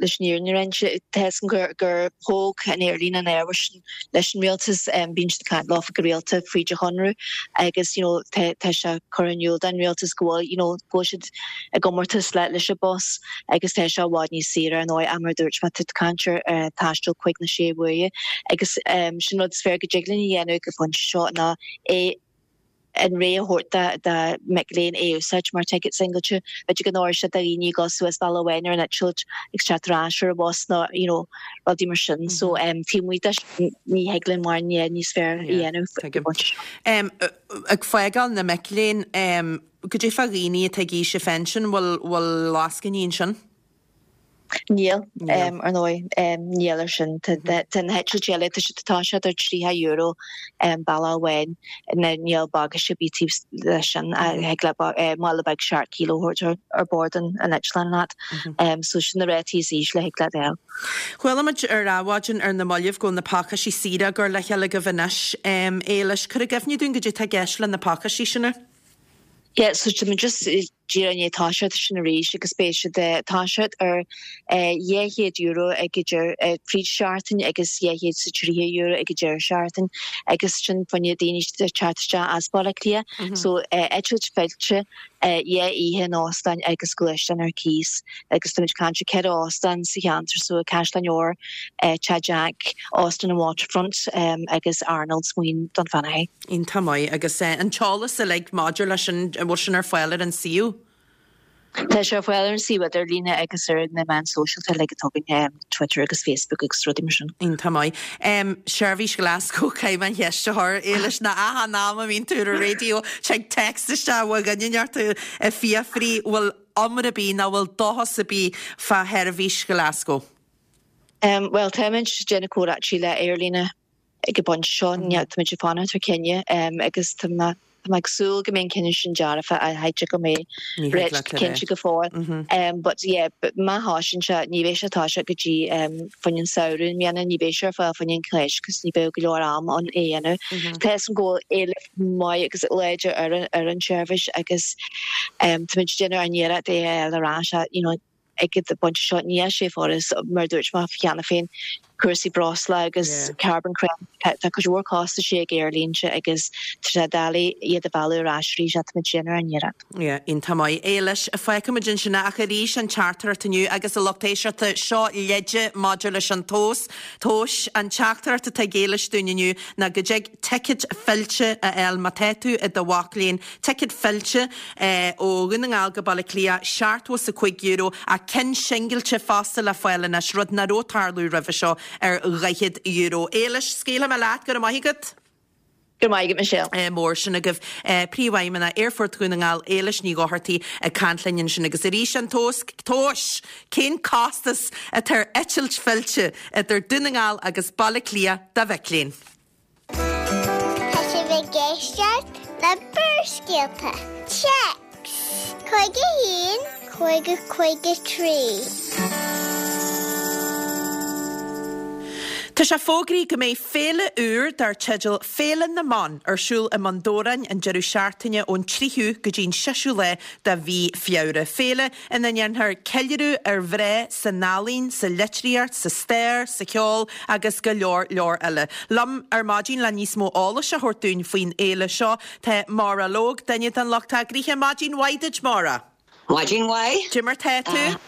leis an fhírinne a roinnt. Tá a fhios agam gur thóg an aerlíne an ábhar sin leis an rialtas. Bíonn siad ag caint leofa go rialta fríd an chonradh agus, you know, tá tá sé curtha in iúl don rialtas go bhfuil, you know, go bhfuil siad i gcomórtas le leis an bus agus tá sé i bhfad níos saoire ar ndóigh ach mar a dúirt mé, tá tú ag caint ar taisteal chuig na sé bhuaidhe agus sin rud is fearr go dtig linn a dhéanamh ag an phointe seo ná é an rogha a thabhairt do mhic léinn é a úsáid mar ticéad singilte. B'fhéidir go n-oirfidh sé do dhaoine ag dul suas bealach amháin ar an eitilt agus teacht ar ais ar an bhus nó you know rudaí mar sin. So taobh amuigh de sin ní thig linn mórán níos fearr a dhéanamh ag an bpointe seo. Ag fágáil na mic léinn, goidé fá dhaoine atá ag aois a phension, bhfuil bhfuil lascainí ansin? Níl, ar ndóigh, níl ar sin. Tá na heitiltí eile, tá siad tá siad ar €30 bealach amháin, níl bagáiste ar bith taobh leis sin, thig leat mála beag seacht kilo a thabhairt ar bord an eitleáin leat. So sin na rátaí is ísle a thig leat a fháil. Chuala muid ar Adhmhaidin ar na mallaibh go bhfuil na pacáistí saoire á gcur le chéile agaibh anois. Éilis, cuir i gcuimhne dúinn goidé atá i gceist le na pacáistí sin. Yeah, so tá muid just díreach i ndiaidh toiseacht sin arís agus beidh siad ag toiseacht ar €200 ag idir fríd seachtain agus €230 ag an deireadh seachtain agus sin fá choinne daoine ag teacht isteach as Baile Átha Cliath. So eitilt fillte, dhá oíche in óstán agus gluaisteán ar cíos agus táimid ag caint ar cheithre óstán sa cheantar so Caisleán Iohair, Teach Jack, Óstán an Waterfront agus Arnold's Maoin Dún Fionnachaidh. Iontach maith. Agus an t-eolas uilig maidir leis sin, an bhfuil sin ar fáil ar an suíomh? Tá sé ar fáil ar an suíomh idirlíne agus ar na meáin sóisialta uilig atá againn, Twitter agus Facebook agus rudaí mar sin. Iontach maith. Seirbhís Glasgow, caithfidh mé an cheist a chur, Éilis, nó achan am a mbíonn tú ar an raidió, tig text isteach ó dhuine inteacht ag fiafraí bhfuil iomrá ar bith nó bhfuil dóchas ar bith fá sheirbhís Glasgow. Bhuel, táimid ag déanamh comhráití le aerlíne ag an bpointe seo. Táimid ag fanacht ar chinneadh agus tá mé ag súil go mbeidh an cinneadh sin dearfa ach cha dtig go mbeidh réit cinnte go fóill. But yeah, má thosaíonn sé, ní bheidh sé ag toiseacht go dtí fá choinne an samhradh i mbliana, ní bheidh sé ar fáil fá choinne an Cháisc cos ní bheadh go leor am ann é a dhéanamh. Tá 'fhios agam go bhfuil éileamh maith agus láidir ar ar an tseirbhís agus táimid ag déanamh ár n-iarracht é a fháil ar ais you know, ag an bpointe seo níl sé furast, mar a dúirt mé cheana féin, cúrsaí breosla agus carbon credit, tá cuid mhór costaisí ag aerlínte agus tá sé doiligh iad a mhealladh ar ais arís ach táimid ag déanamh ár n-iarracht. Yeah, iontach maith. Éilis, fágfaimid ansin é ach arís an teachtaireacht inniu agus a lucht éisteachta, seo leide maidir leis an tomhas, tomhais, an teachtaireacht atá ag Éilis dúinn inniu ná go dtig ticéad fillte a fháil má tá tú i do mhac léinn, Ticéad fillte ó Dhún na nGall go Baile Átha Cliath, €75, ach cinn singilte fosta le fáil anois, rud nach raibh ag tarlú roimhe seo, ar €40. Éilis, scaoilfidh mé leat, go raibh maith agat. Go raibh maith agat, Michelle. Mór sin agaibh. Príomhfheidhmeannach Aerfort Dhún na nGall, Éilis Ní Dhochartaigh, ag caint linn ansin. Agus arís an tomhas, tomhais, cén costas atá ar eitilt fillte idir Dún na nGall agus Baile Átha Cliath do mhic léinn? Tá sibh ag éisteacht le Barrscéalta. Téacs 51 50 53. Tá sé fógraithe go mbeidh féile úr dar teideal Féile na mBan ar siúl i mBun Dobhráin an deireadh seachtaine ón 3ú go dtí an 6ú lá de mhí Feabhra. Féile ina ndéanfar ceiliúradh ar mhná san ealaín, sa litríocht, sa stair, sa cheol agus go leor leor eile. Liom ar maidin le níos mó eolais a thabhairt dúinn faoin fhéile seo tá Máire Logue, duine den lucht eagraithe. Maidin mhaith duit, Máire. Maidin mhaith. Cad é mar tá tú?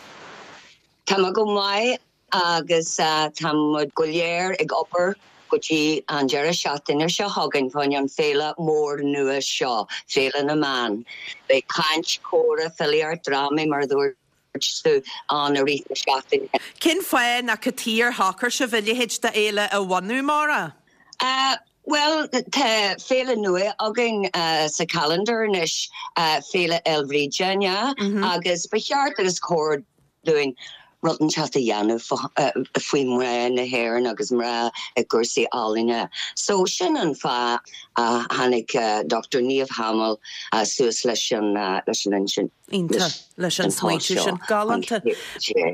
Tá mé go maith. Agus tá muid go léir ag obair go dtí an deireadh seachtaine seo chugainn fá choinne an féile mór nua seo, Féile na mBan. Beidh caint, comhrá, filíocht, drámaí, mar a dúirt tú, ann i rith na seachtaine. Cén fáth nó cad chuige ar shocair sibh a leithéid d'fhéile a bhunú, Máire? Bhuel, tá féile nua againn sa calendar anois, Féile Fhéil Bhríde, an ea? Agus ba cheart agus cóir dúinn rud inteacht a dhéanamh faoi mhná na hÉireann agus mná i gcúrsaí ealaíne. So sin an fáth a tháinig Dr Niamh Hamill suas leis an leis an intinn. Iontach leis an smaointiú sin. Galánta.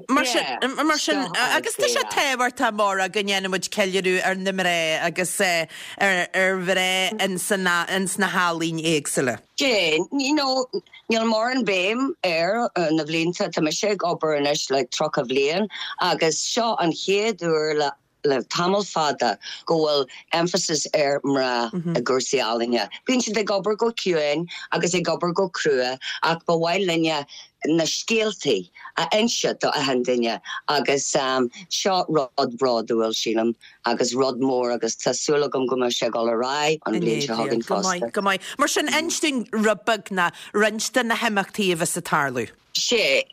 Mar sin, mar sin, agus tá sé tábhachtach, Máire, go ndéanaimid ceiliúradh ar na mná agus ar ar mhná ins na healaín éagsúla. Sea, you know, níl mórán béim air na bhlianta, tá mise ag obair anois le 30 bhliain agus seo an chéad uair le le tamall fada go bhfuil emphasis ar mná i gcúrsaí ealaíne. Bíonn siad ag obair go ciúin agus ag obair go crua ach ba mhaith linne na scéaltaí a inse do achan duine agus seo rud bródúil, sílim. agus rud mór agus tá súil agam go mbeidh sé ag dul ar aghaidh an bhliain seo chugainn fosta. Go maith, go maith. Mar sin, inis dúinn rud beag nó roinnt de na himeachtaí a bheas ag tarlú. Sea,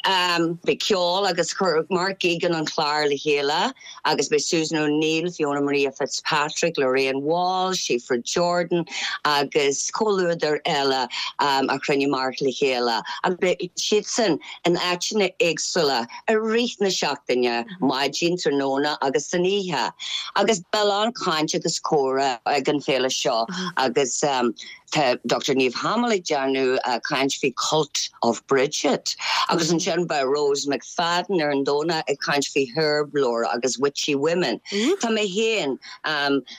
beidh ceol agus chuir Mark Geoghegan an clár le chéile agus beidh Susan O'Neill, Fiona Maria Fitzpatrick, Lorraine Walsh, Síofra Jordan agus comhluadar eile a chruinnigh Mark le chéile agus beidh siadsan in áiteanna éagsúla i rith na seachtaine, maidin, tráthnóna agus san oíche. Agus beidh a lán caint agus comhrá ag an féile seo agus tá Dr Niamh Hamill ag déanamh caint faoi Cult of Bridget agus ansin beidh Rose McFadden ar an Domhnach ag caint faoi Herblore agus Witchy Women. Tá mé féin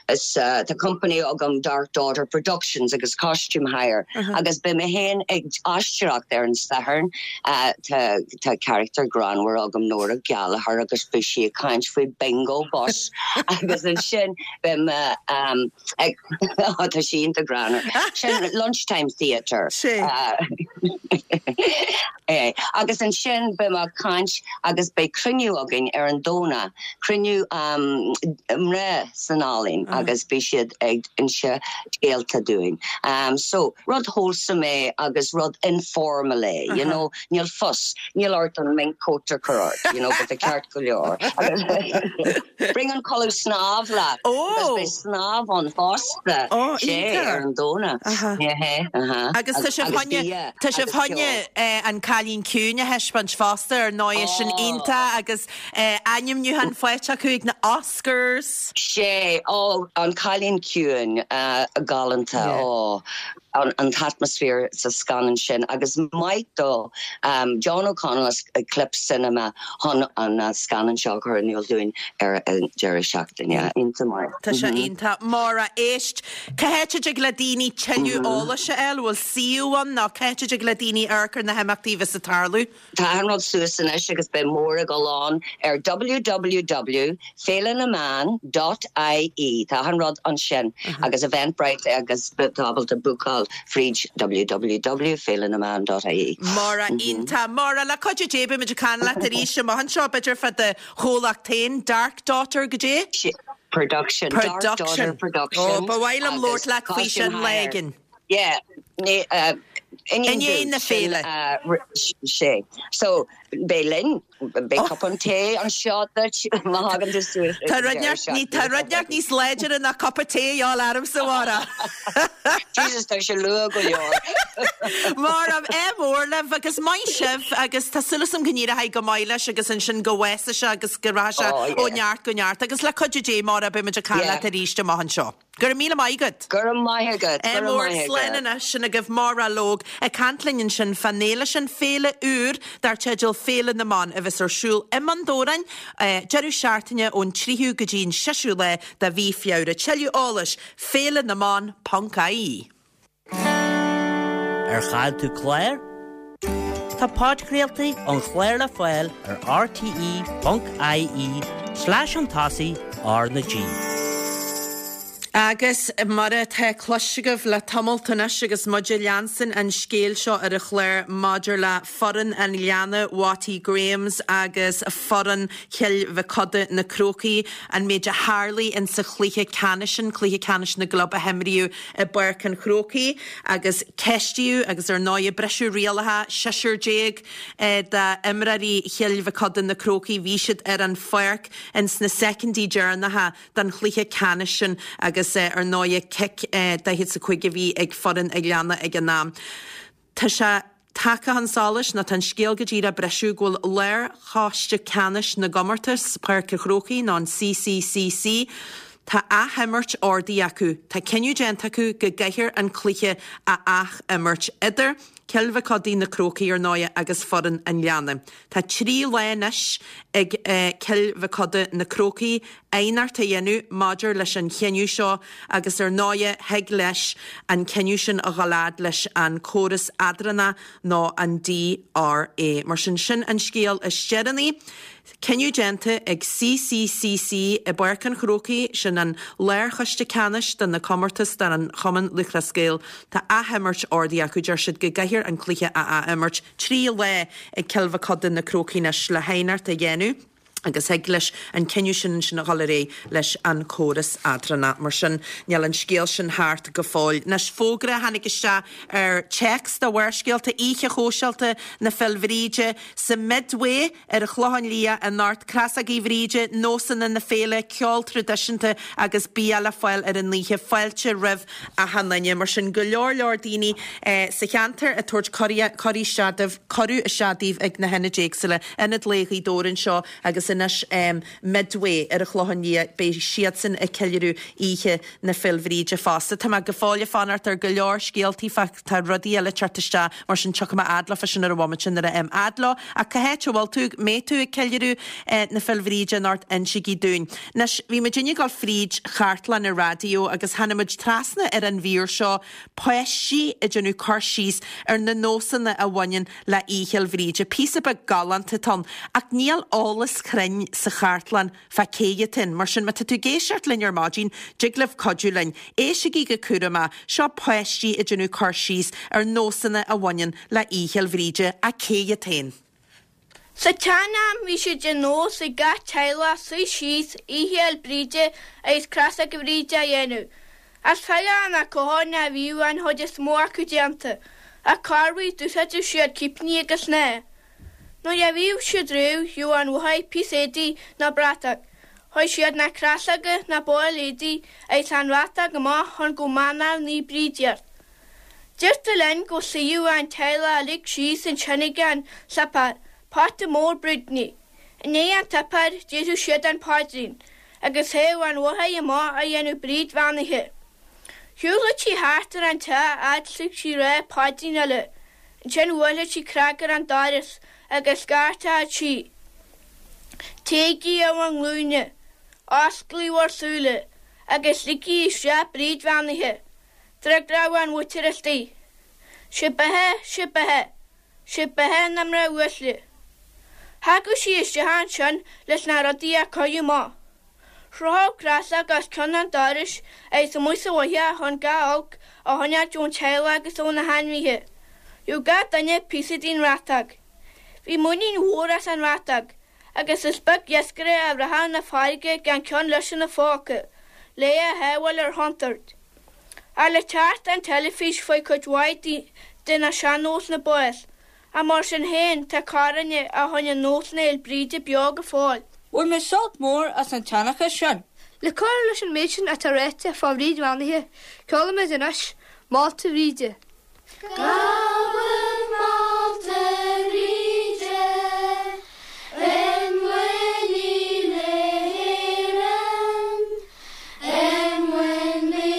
Is tá company agam Dark Daughter Productions agus Costume Hire agus beidh mé féin ag aisteoireacht ar an Satharn. Tá tá character greannmhar agam Nóra Gallagher agus beidh sí ag caint faoi Bingo Bus agus ansin beidh mé ag tá sí iontach greannmhar. Sin lunchtime theatre. É. Agus ansin beidh mé ag caint agus beidh cruinniú againn ar an Domhnach, cruinniú mná san ealaín agus beidh siad ag inse scéalta dúinn. So, rud wholesome é agus rud informal é, you know, níl fuss, níl ort an mink coat a chur ort, you know, beidh tú ceart go leor. Bring an culaith snámh leat because beidh snámh ann fosta, sé, ar an Domhnach. Agus tá sibh choinne, tá sibh choinne an Cailín Ciúin a thaispeáint fosta, ar ndóigh, sin iontach agus ainmniúchán faighte acu ag na Oscars. Sé, ó, an Cailín Ciúin, galánta, ó. an t-atmaisféar sa scannán sin agus maith do John O'Connell as Eclipse Cinema chun an scannán seo a chur in iúl dúinn ar an deireadh seachtaine. Iontach maith. Tá sé iontach. Máire, éist, cá háit a dtig le daoine tuilleadh eolais a fháil? Bhfuil suíomh ann nó cá háit a dtig le daoine amharc ar na himeachtaí a bheas ag tarlú? Tá an rud suas anois agus beidh mór ag dul ann ar www féilenameán dot ie. Tá an rud ansin agus Eventbrite agus tá ábalta bookáil fríd www féilenameán dot ie. Máire, Iontach. Máire, le cuidiú Dé beimid ag caint leat arís amach anseo, b'fhéidir fá do chomhlacht féin, Dark Daughter, goidé? Production. Dark Daughter Productions. Ó, ba mhaith liom labhairt leat faoi sin lá éigin. Yeah, i ndiaidh na féile. Sé. So, beidh linn, beidh cupán tae anseo duit má thagann tú suas. Tá rud inteacht, ní, tá rud inteacht níos láidre ná cupa tae a fháil ormsa, a Mháire. Jesus, tá sé luath go leor. Máire, ádh mór libh agus maith sibh agus tá súil agam go n-éireoidh go maith leis agus ansin go bhfásfaidh sé agus go rachaidh sé ó neart go neart agus le cuidiú Dé, Máire, beidh muid ag caint leat arís amach anseo. Go raibh míle maith agat. Go raibh maith agat. Go raibh maith agat. Slán anois, sin agaibh Máire Lóg ag caint linn ansin fán fhéile sin, féile úr dar teideal Féile na mBan a bheas ar siúl i mBun Dobhráin deireadh seachtaine ón 3ú go dtí an 6ú lá de mhí Feabhra. Tuilleadh eolais, féilenaMban ponc ie. Ar chaill tú clár? Tá podchraoltaí an chláir le fáil ar rte.ie slash chun tosaigh R na G. Agus mar atá cloiste agaibh le tamalt anois agus muid ag leanstan an scéil seo ar an chlár maidir le foireann an Ghleanna, Watty Grahams agus foireann Chill Mhic Coda, Na Crócaigh, an méid a tharlaigh insa chluiche ceannais sin, cluiche ceannais na gclub a himríodh i bPáirc an Chrócaigh agus ceistíodh agus ar ndóigh briseadh rialacha, seisear déag d'imreoirí Chill Mhic Coda, Na Crócaigh, bhí siad ar an pháirc ins na soicindí deireanacha den chluiche ceannais sin agus ar ndóigh cic 45 a bhí ag foireann an Ghleanna ag an am. Tá sé tagtha chun solais, nó tá an scéal go díreach ag briseadh, go bhfuil Lárchoiste Ceannais na gComórtas, Páirc an Chrócaigh, nó an CCCC, tá athimirt ordaithe acu. Tá cinneadh déanta acu go gcaithfear an cluiche a athimirt idir Cill Mhic Codaigh, Na Crócaigh, ar ndóighe, agus foireann an Ghleanna. Tá 3 lá anois ag Cill Mhic Coda, Na Crócaigh, aighneacht a dhéanamh maidir leis an chinneadh seo agus ar ndóighe thig leis an cinneadh sin a dhul fhad leis an córas eadrána nó an DRA. Mar sin, sin an scéal is deireanaí. Cinneadh déanta ag CCCC i bPáirc an Chrócaigh, sin an lárchoiste ceannais do na comórtais don Chumann Lúthchleas Gael. Tá athimirt ordaithe acu, deir siad go gcaithfear an cluiche a athimirt. 3 lá ag Cill Mhic Coda Na Crócaigh anois le haighneacht a dhéanamh agus thig leis an cinneadh sin ansin a dhul ar aghaidh leis an córas eadrána. Mar sin, níl an scéal sin thart go fóill. Anois, fógra a tháinig isteach ar téacs do Bharrscéalta, Oíche Shóisialta na Féile Bhríde sa Midway ar an Chlochán Liath anocht, Crosógaí Bhríde, nósanna na féile, ceol traidisiúnta agus bia le fáil ar an oíche. Fáilte roimh achan duine. Mar sin, go leor leor daoine sa cheantar ag tabhairt cuirí isteach daoibh, cuireadh isteach daoibh ag na hionaid éagsúla, Ionad Lae Ghaoth Dobhair anseo agus anois Midway ar an Chlochán Liath, beidh siadsan ag ceiliúradh Oíche na Féile Bhríde fosta. Tá mé go fóill ag fanacht ar go leor scéaltaí fá, tá rudaí eile ag teacht isteach mar sin tiocfaidh mé fhad leofa sin ar an bhomaite nuair a fhaighim fhad leo. Ach cá háit a bhfuil tú, mbeidh tú ag ceiliúradh na Féile Bhríde anocht, insígí dúinn. Anois, bhí muidinne ag dul fríd chartlann an raidió agus tháinig muid trasna ar an mhír seo, páistí ag déanamh cur síos ar na nósanna a bhaineann le Oíche Fhéil Bhríde. Píosa beag galánta atá ann, ach níl eolas cruinn sa chartlann fá cé atá ann. Mar sin, má tá tú ag éisteacht linn ar maidin, dtig libh cuidiú linn. Éistigí go cúramach, seo páistí ag déanamh cur síos ar nósanna a bhaineann le Oíche Fhéil Bhríde, ach cé atá ann? Sa tsean-am bhí sé de nós ag gach teaghlach suí síos Oíche Fhéil Bríde agus crosóga Bhríde a dhéanamh. As faighean na cotháin a bhíodh an chuid is mó acu déanta, ach corruair d'úsáideadh siad cipíní agus snáth. Nuair a bhíodh siad réidh, gheobhadh an mháthair píosa éadaigh nó bratach. Chuir siad na crosóga, na baill éadaigh agus an bhratach amach chun go mbeannódh Naomh Bríd iad. Deirtear linn go suíodh an teaghlach uilig síos ansin ag an suipéar, pota mór brúidiní. I ndiaidh an tsuipéir déarfadh siad an paidrín agus théadh an mháthair amach a dhéanamh Bríd bheannaithe. Shiúladh sí thart ar an teach fhad 's thig sí rá paidrín eile. Ansin bhuailfeadh sí cnag ar an doras agus scairteochadh sí, Téigí ar bhur nglúine, osclaigí bhur súile agus ligigí isteach Bríd bheannaithe. D'fhreagródh an mhuintir istigh, 'Sé beatha, sé beatha, sé beatha na mná uaisle. Thagadh sí isteach ansin leis na rudaí a cur amach. Chrochfadh crosóg os cionn an dorais agus amuigh sa bhoitheach chun gach olc a choinneáilt ón teaghlach agus ó na hainmhithe. Gheobhadh gach duine píosa den bhratóg. Bhí muinín mhór as an bhratóg agus is beag iascaire a rachadh 'na farraige gan ceann leis ina phóca le é a shábháil ar chontúirt. Ach le teacht an teilifís fuair cuid mhaith de na sean-nósanna bás. Ach mar sin féin, tá corrdhuine a choinnigh nósanna Fhéil Bríde beo go fóill. Bhain mé sult mór as an tseanchas sin. Le cur leis an méid sin atá ráite fá Bhríd Bheannaithe, ceolfaimid anois Málta Bhríde. Gabhaim Málta Bhríde i muiníl na hÉireann, i muiníl.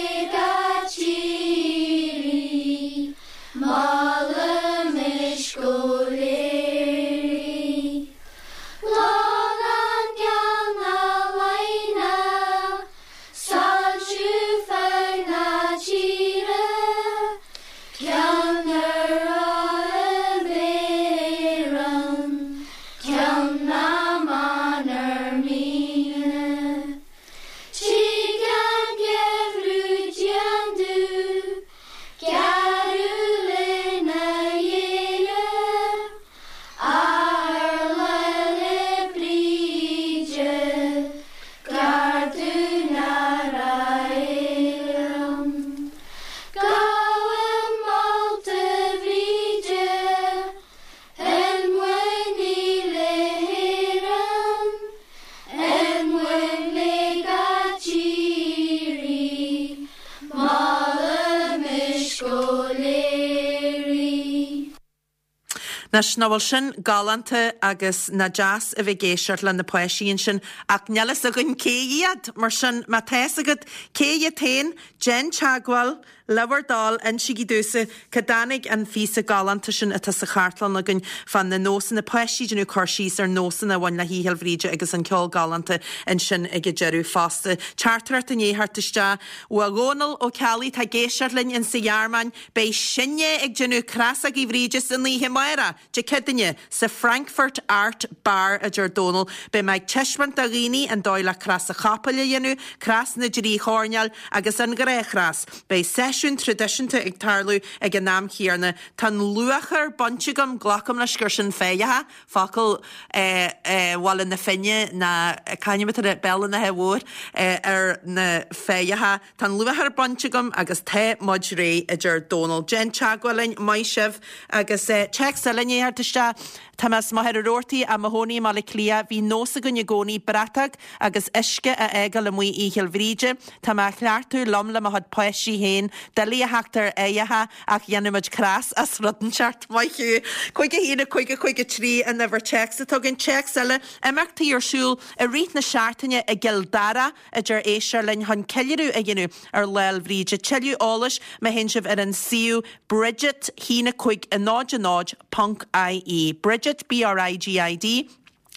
Anois, nach bhfuil sin galánta agus nach deas a bheith ag éisteacht le na páistí ansin ach níl fhios againn cé hiad, mar sin má tá fhios agat cé hiad féin, déan teagmháil, le bhur dtoil, insígí domhsa cá dtáinig an phíosa galánta sin atá sa chartlann againn fá na nósanna, páistí ag déanamh cur síos ar nósanna a bhain le hOíche Fhéil Bhríde agus an ceol galánta ansin ag an deireadh fosta. Teachtaireacht i ndiaidh theacht isteach ó Dhónal Ó Ceallaigh atá ag éisteacht linn insa Ghearmáin. Beidh sinne ag déanamh Crosógaí Bhríde san oíche amárach, Dé Céadaoine, sa Frankfurt Art Bar, a deir Dónal. Beidh mé ag taispeáint do dhaoine an dóigh le cros an chapaill a dhéanamh, cros na dtrí choirnéal agus an ghnáthchros. Beidh seisiún traidisiúnta ag tarlú ag an am chéanna. Tá an luachair bainte agam, glacaim leis gur sin féitheacha, focal Bhaile na Finne ná c'ainm atá air, Béal an Átha Mhóir, ar na féitheacha. Tá an luachair bainte agam agus tá muid réidh, a deir Dónal. Déan teagmháil linn, maith sibh. Agus téacs eile i ndiaidh theacht isteach. Tá mé as Machaire Rabhartaigh ach i mo chónaí i mBaile Átha Cliath. Bhí nós againn i gcónaí bratach agus uisce a fhágáil amuigh Oíche Fhéil Bhríde. Tá mé á chleachtadh liom le mo chuid páistí féin. Doiligh a theacht ar fhéitheacha ach dhéanadh muid cros as rud inteacht. Maith thú. 5 1 5 5 3 an uimhir téacs atá againn. Téacs eile, imeachtaí ar siúl i rith na seachtaine i gCill Dara. a deir éisteoir linn chun ceiliúradh a dhéanamh ar Lá 'le Bhríde. Tuilleadh eolais má théann sibh ar an suíomh Bridget 1 5 0 0 ponc ie. Bridget, B-R-I-G-I-D,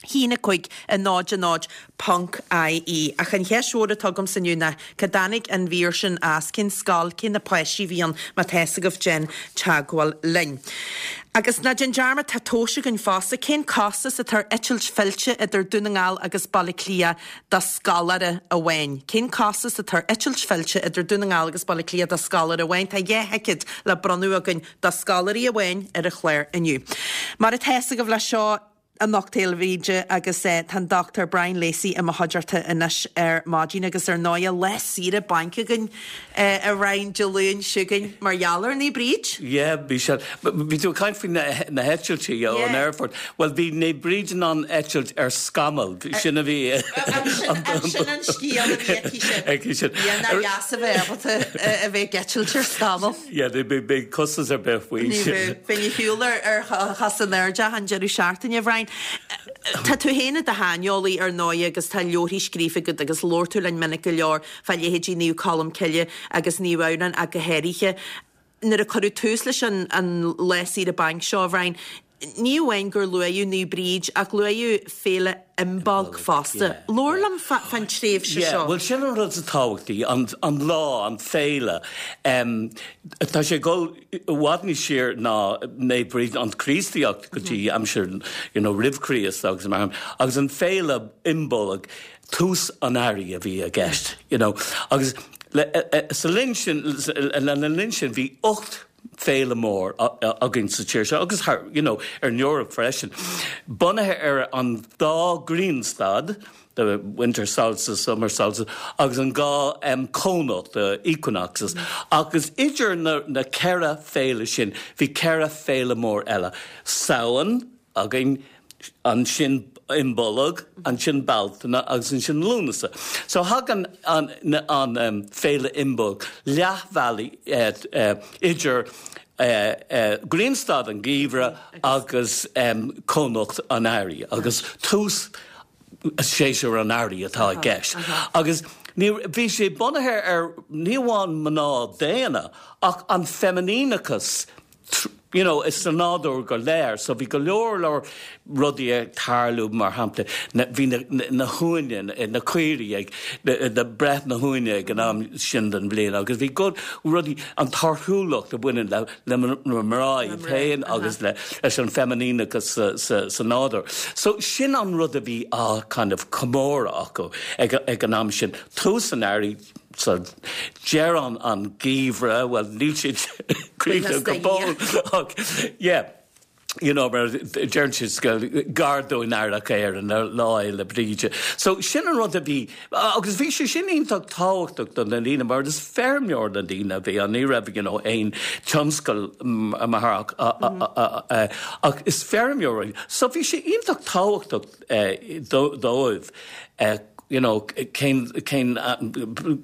1 5 0 0 ponc ie. Ach an cheist mhór atá agamsa inniu ná cá dtáinig an mhír sin as, cén scoil, cé na páistí a bhí ann, má tá fhios agaibh déan teagmháil linn. Agus ná déan dearmad tá tomhas againn fosta, cén costas atá ar eitilt fillte idir Dún na nGall agus Baile Átha Cliath do scoláire amháin. Cén costas atá ar eitilt fillte idir Dún na nGall agus Baile Átha Cliath do scoláire amháin? Tá 2 thicéad le bronnadh againn do scoláirí amháin ar an chlár inniu. Mar atá fhios agaibh leis seo anocht Fhéile Bhríde agus tá an Dr Brian Lacey i mo chuideachta anois ar maidin agus ar ndóighe lá saoire bainc againn a Bhrian Dé Luain seo chugainn mar gheall ar Naomh Bríd. Yeah, bhí sé. Bhí tú ag caint faoi na heitiltí ón aerfort. Bhuel, bhí Naomh Bríd in ann eitilt ar scamall. Sin a bhí. Sin an scéal a bhí aici sin. Aici sin. Yeah, nár dheas a bheith ábalta a bheith ag eitilt ar scamall. Yeah, ní bheadh costas ar bith faoi sin. Ní bheadh. Bheinn ar shiúl ar chosa in airde achan deireadh seachtaine, a Bhrian. Tá tú féin i do shaineolaí ar ndóighe agus tá leabharthaí scríofa agat agus labhair tú linn minic go leor fá leithéidí Naomh Colm Cille agus Naomh Adhamhnán ach go háirithe. Nuair a cuireadh tús leis an an lá saoire bainc seo, a Bhrian, ní amháin gur luaíodh Naomh Bríd ach luaíodh Féile Imbolc fosta. Labhair liom fán tréimhse Yeah, seo. bhuel sin an rud is tábhachtaí, an an lá, an féile. Tá sé ag dul i bhfad níos siar ná Naomh Bríd, an Chríostaíocht go dtí aimsir you know roimh Chríost agus mar agus an féile Imbolc, tús an earraigh a bhí i gceist, you know. Agus sa linn sin, lena linn sin bhí 8 féile mór againn sa tír seo agus thar, you know, ar an Eoraip freisin, bunaithe ar an dá ghrianstad, the winter solstice, summer solstice, agus an dhá cónocht, the equinoxes. Agus idir na, na ceithre féile sin, bhí ceithre féile mór eile, Samhain, againn, ansin Imbolg, ansin Bealtaine agus ansin Lúnasa. So thagann an an féile Imbolc leathbhealaigh idir grianstad an gheimhridh agus cónocht an earraigh agus tús séasúr an earraigh atá i gceist. Agus ní, bhí sé bunaithe ar ní amháin mná daonna ach an feiminíneachas you know, is sa nádúr go léir. So bhí go leor leor rudaí ag tarlú, mar shampla, na, bhí na, na, na huaine, na caoirigh ag, na, na breith na huaine ag an am sin den bhliain agus bhí go, rudaí, an torthúlacht a bhaineann le, le na mná iad féin agus le, leis an feiminíneachas sa, sa, sa nádúr. So sin an rud a bhí á kind of comóradh acu ag, ag an am sin. Tús an earraigh, So, deireadh an gheimhridh, bhuel, níl siad críochnaithe go fóill ach, yeah, you know, mar deireann siad gar dúinn Earrach Éireann ar Lá Fhéile Bríde. So, sin an rud a bhí, agus bhí sé sin iontach tábhachtach do na daoine mar is feirmeoir na daoine a bhí ann, ní raibh, you know, aon tionscal mar ach is feirmeoir. So, bhí sé iontach tábhachtach dóibh you know cén cén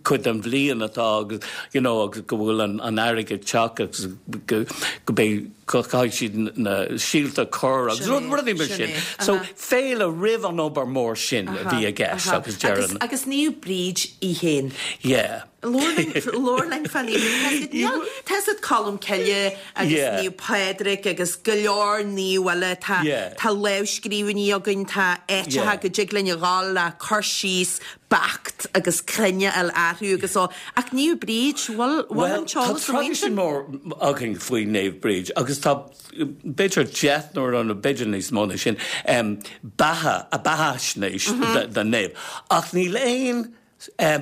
cuid den bhliain atá agus you know agus go bhfuil an an earraigh ag teacht agus go go mbeidh. Caithfidh siad na síolta a chur agus rudaí mar sin. So féile roimh an obair mór sin a bhí i gceist agus deireann. Agus Naomh Bríd í féin. Yeah. Labhair linn fá Naomh Bríd. Tá fhios agat Colm Cille agus Naomh Pádraig agus go leor naomh eile. Tá tá lámhscríbhinní againn, tá áiteacha go dtig linn a dhul le cur síos beacht agus cruinn a fháil orthu agus ó, ach Naomh Bríd, bhfuil, bhfuil an Bhuel, tá t-eolas amuigh traidisiún ansin? mór againn faoi Naomh Bríd agus tá b'fhéidir deichniúr nó b'fhéidir níos mó ná sin, beatha, beathaisnéis den naomh ach níl aon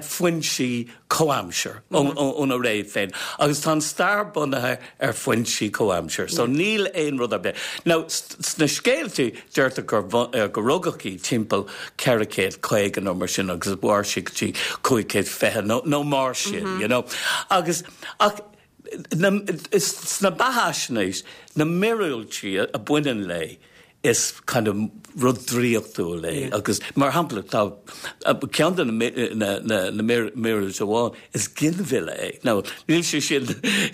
foinsí comhaimseartha óna ré féin agus tá an stair bunaithe ar foinsí comhaimseartha so níl aon rud ar bith. Now sna scéaltaí deirtear gur go rugadh í timpeall 450 nó mar sin agus mhair sí go dtí 520 nó nó mar sin you know agus ach na sna beathaisnéis na míorúiltí a bhaineann léi is kind of rud draíochtúil é agus mar shampla tá ceann de na na míorúiltí amháin is ginmhilleadh é. Now níl sé sin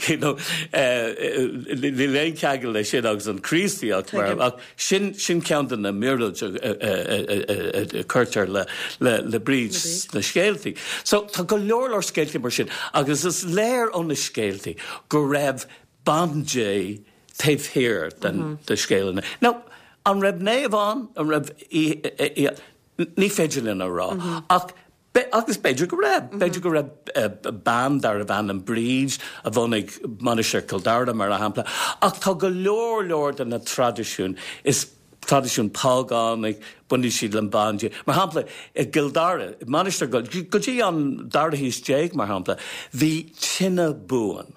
you know níl aon cheangal le sin agus an Chríostaíocht mar ach sin sin ceann de na míorúiltí a cuirtear le le le Bríd sna scéaltaí. So tá go leor leor scéaltaí mar sin agus is léir ó na scéaltaí go raibh bandé taobh thiar den de scéal an. Now, an raibh naomh ann? An raibh í, ní féidir linn a rá. Ach agus b'fhéidir go raibh. B'fhéidir go raibh bean darbh ainm Bríd a bhunaigh Mainistir Chill Dara, mar shampla. Ach tá go leor leor de na traidisiúin, is traidisiún págánach, baineann siad le bandé. Mar shampla, i gCill Dara, Mainistir, go dtí an dara haois déag, mar shampla, bhí tine buan.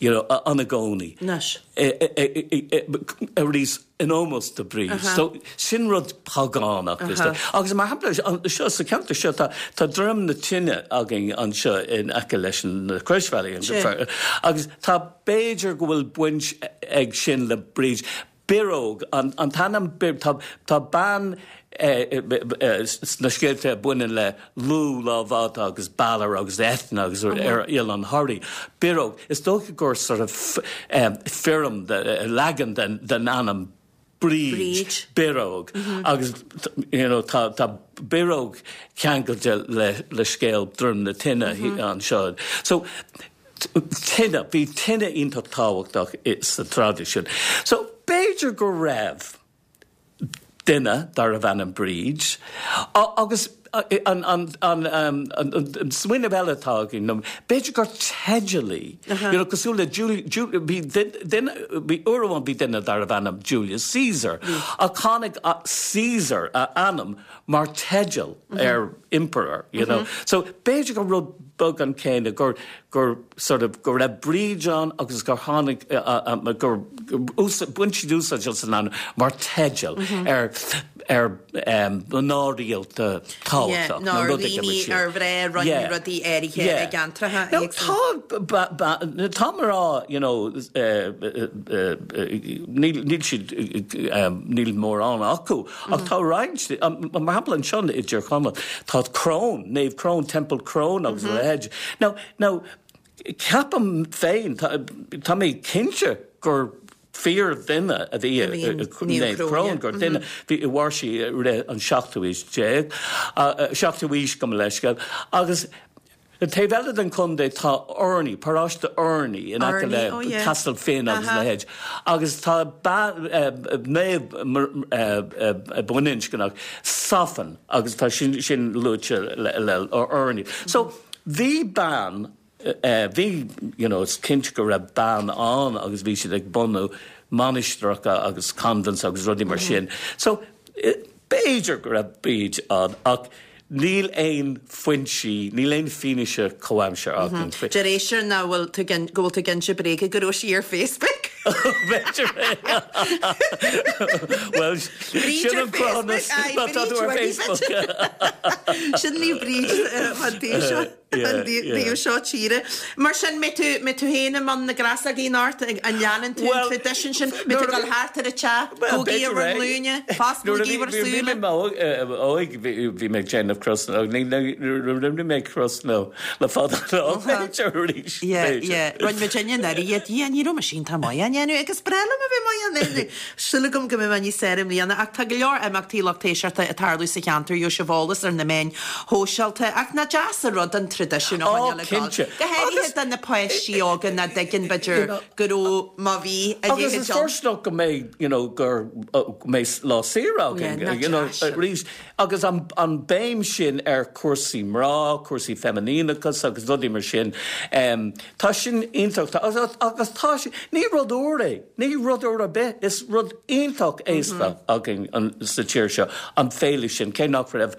you know, ann i gcónaí. Anois. Arís, in ómós do Bríd. So, sin rud págánach. Agus mar shampla, seo, sa cheantar seo, tá, tá Droim na Tine againn anseo in aice leis na Croisbhealaí. Agus tá, b'fhéidir go bhfuil baint ag sin le Bríd. Bioróg, an t-ainm, tá bean sna scéalta a bhaineann le Lugh, Lámh Fhada agus Balor agus Eithne agus ar Oileán Thoraí. Bioróg, is dócha gur sort of foirm, leagan den ainm Bríd, Bioróg agus you know tá Bioróg ceangailte le scéal Droim na Tine anseo. So tine, bhí tine iontach tábhachtach sa traidisiún. So, b'fhéidir go raibh duine darbh ainm Bríd agus an smaoineamh eile atá againn ná b'fhéidir gur teideal í, you know, cosúil le Julia, bhí duine, bhí uair amháin bhí duine darbh ainm Julius Caesar ach tháinig Caesar, a ainm, mar teideal ar emperor, you know. So, b'fhéidir gur rud beag an céanna, gur, gur sort of, go raibh Bríd ann agus gur tháinig, gur bhain siad úsáid as an ainm mar teideal ar, ar mná rialta tábhachtach nó rud éigin mar daoine sin. ar mhná a rinne rudaí áirithe i gceantracha éagsúla. Tá, tá mná, you know, níl, níl siad, níl mórán acu Ach tá roinnt, mar shampla anseo i dTír Chonaill, tá Crón, Naomh Crón, Teampall Crón agus a leithéid. Now, now, ceapaim féin, tá mé cinnte gur fíordhuine a bhí i Naomh Crón, gur duine, bhí, mhair sí i rith an seachtú haois déag, seachtú haois gabh mo leithscéal, agus An taobh eile den chontae tá Urnaí, paróiste Urnaí in aice le oh yeah. Castle Finn agus Aha. leithéid. Agus tá naomh baininscneach, Sophan, agus tá sin sin luaite le le Urnaí. So bhí bean, bhí, you know, is cinnte go raibh bean ann agus bhí siad ag bunú mainistreacha agus convents agus rudaí mar sin. So B'fhéidir go raibh Bríd ann ach níl aon foinsí, níl aon fianaise comhaimseartha againn faoi. Deir éisteoir nach bhfuil tú ag, go bhfuil tú ag inse bréige go raibh sí ar Facebook. B'fhéidir é. Bhuel, Bríd sin ar an cruthúnas Facebook, aye, má tá tú ar Bríd Facebook. Sin ní Bríd an taobh seo. An taobh seo tíre. Mar sin, mbeidh tú, mbeidh tú féin i mbun na gcrasógaí anocht, an leanann tú an traidisiún sin, mbeidh tú ag dul thart ar an teach, gabhaigí bhur nglúine, fosclaígí bhur súile. Bhí mé óg, bhí mé ag déanamh crosanna, rinne mé crosanna le fada an lá, b'fhéidir arís, b'fhéidir. Rinne muid inne anuraidh iad, yeah, ní raibh mise iontach maith á ndéanamh agus breá liom a bheith maith á ndéanamh. Súil agam go mbeidh mé níos fearr i mbliana ach tá go leor imeachtaí lucht éisteachta ag tarlú sa cheantar, gheobhaidh sibh eolas ar na meáin shóisialta ach nach deas an rud an traidisiún a choinneáil ag dul, go háirithe do na páistí óga nach dtuigeann b'fhéidir go raibh má bhí a leithéid ann. Agus is fóirsteanach go mbeidh you know gur go mbeidh lá saoire againn you know arís agus an an béim sin ar chúrsaí mná, cúrsaí feiminíneachas agus rudaí mar sin tá sin iontach agus tá sé ní rud úr é. Ní rud úr ar bith, is rud iontach aosta againn sa tír seo, an féile sin, cé nach raibh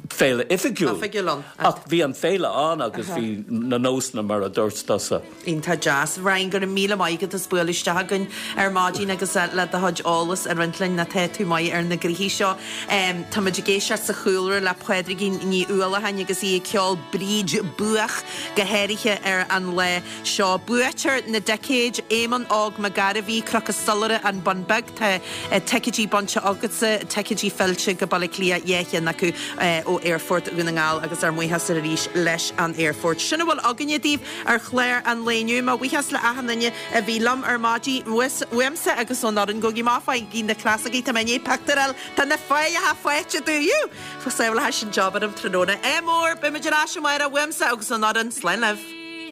féile oifigiúil ann, ach bhí an féile ann agus bhí na nósanna mar a dúirt tusa. Iontach deas. Ryan, go raibh míle maith agat as bualadh isteach againn ar maidin agus le do chuid eolas a roinnt linn, nó tá tú maith ar na gnoithí seo. Táimid ag éisteacht sa chúlra le Pádraigín Ní Uallacháin agus í ag ceol Bríd Buach go háirithe ar an lá seo. Buaiteoir na dticéid, Éamonn Óg Mac Gairbhí, Cnoc an Soilire, An Bun Beag. Tá ticéidí bainte agatsa, ticéidí fillte go Baile Átha Cliath, 2 cheann acu ó Aerfort Dhún na nGall agus ár mbuíochas arís leis an Aerfort. Sin a bhfuil againne daoibh ar chlár an lae inniu. Mo bhuíochas le achan duine a bhí liom ar maidin, uaimse agus ón fhoireann. Gabhaigí amach, faighigí na crasógaí, tá mé i ndiaidh pictiúr a fháil de na failleacha faighte dúinn. Sábhálfaidh sin job orm tráthnóna. Ádh mór, beimid ar ais amárach uaimse agus ón fhoireann. Slán libh.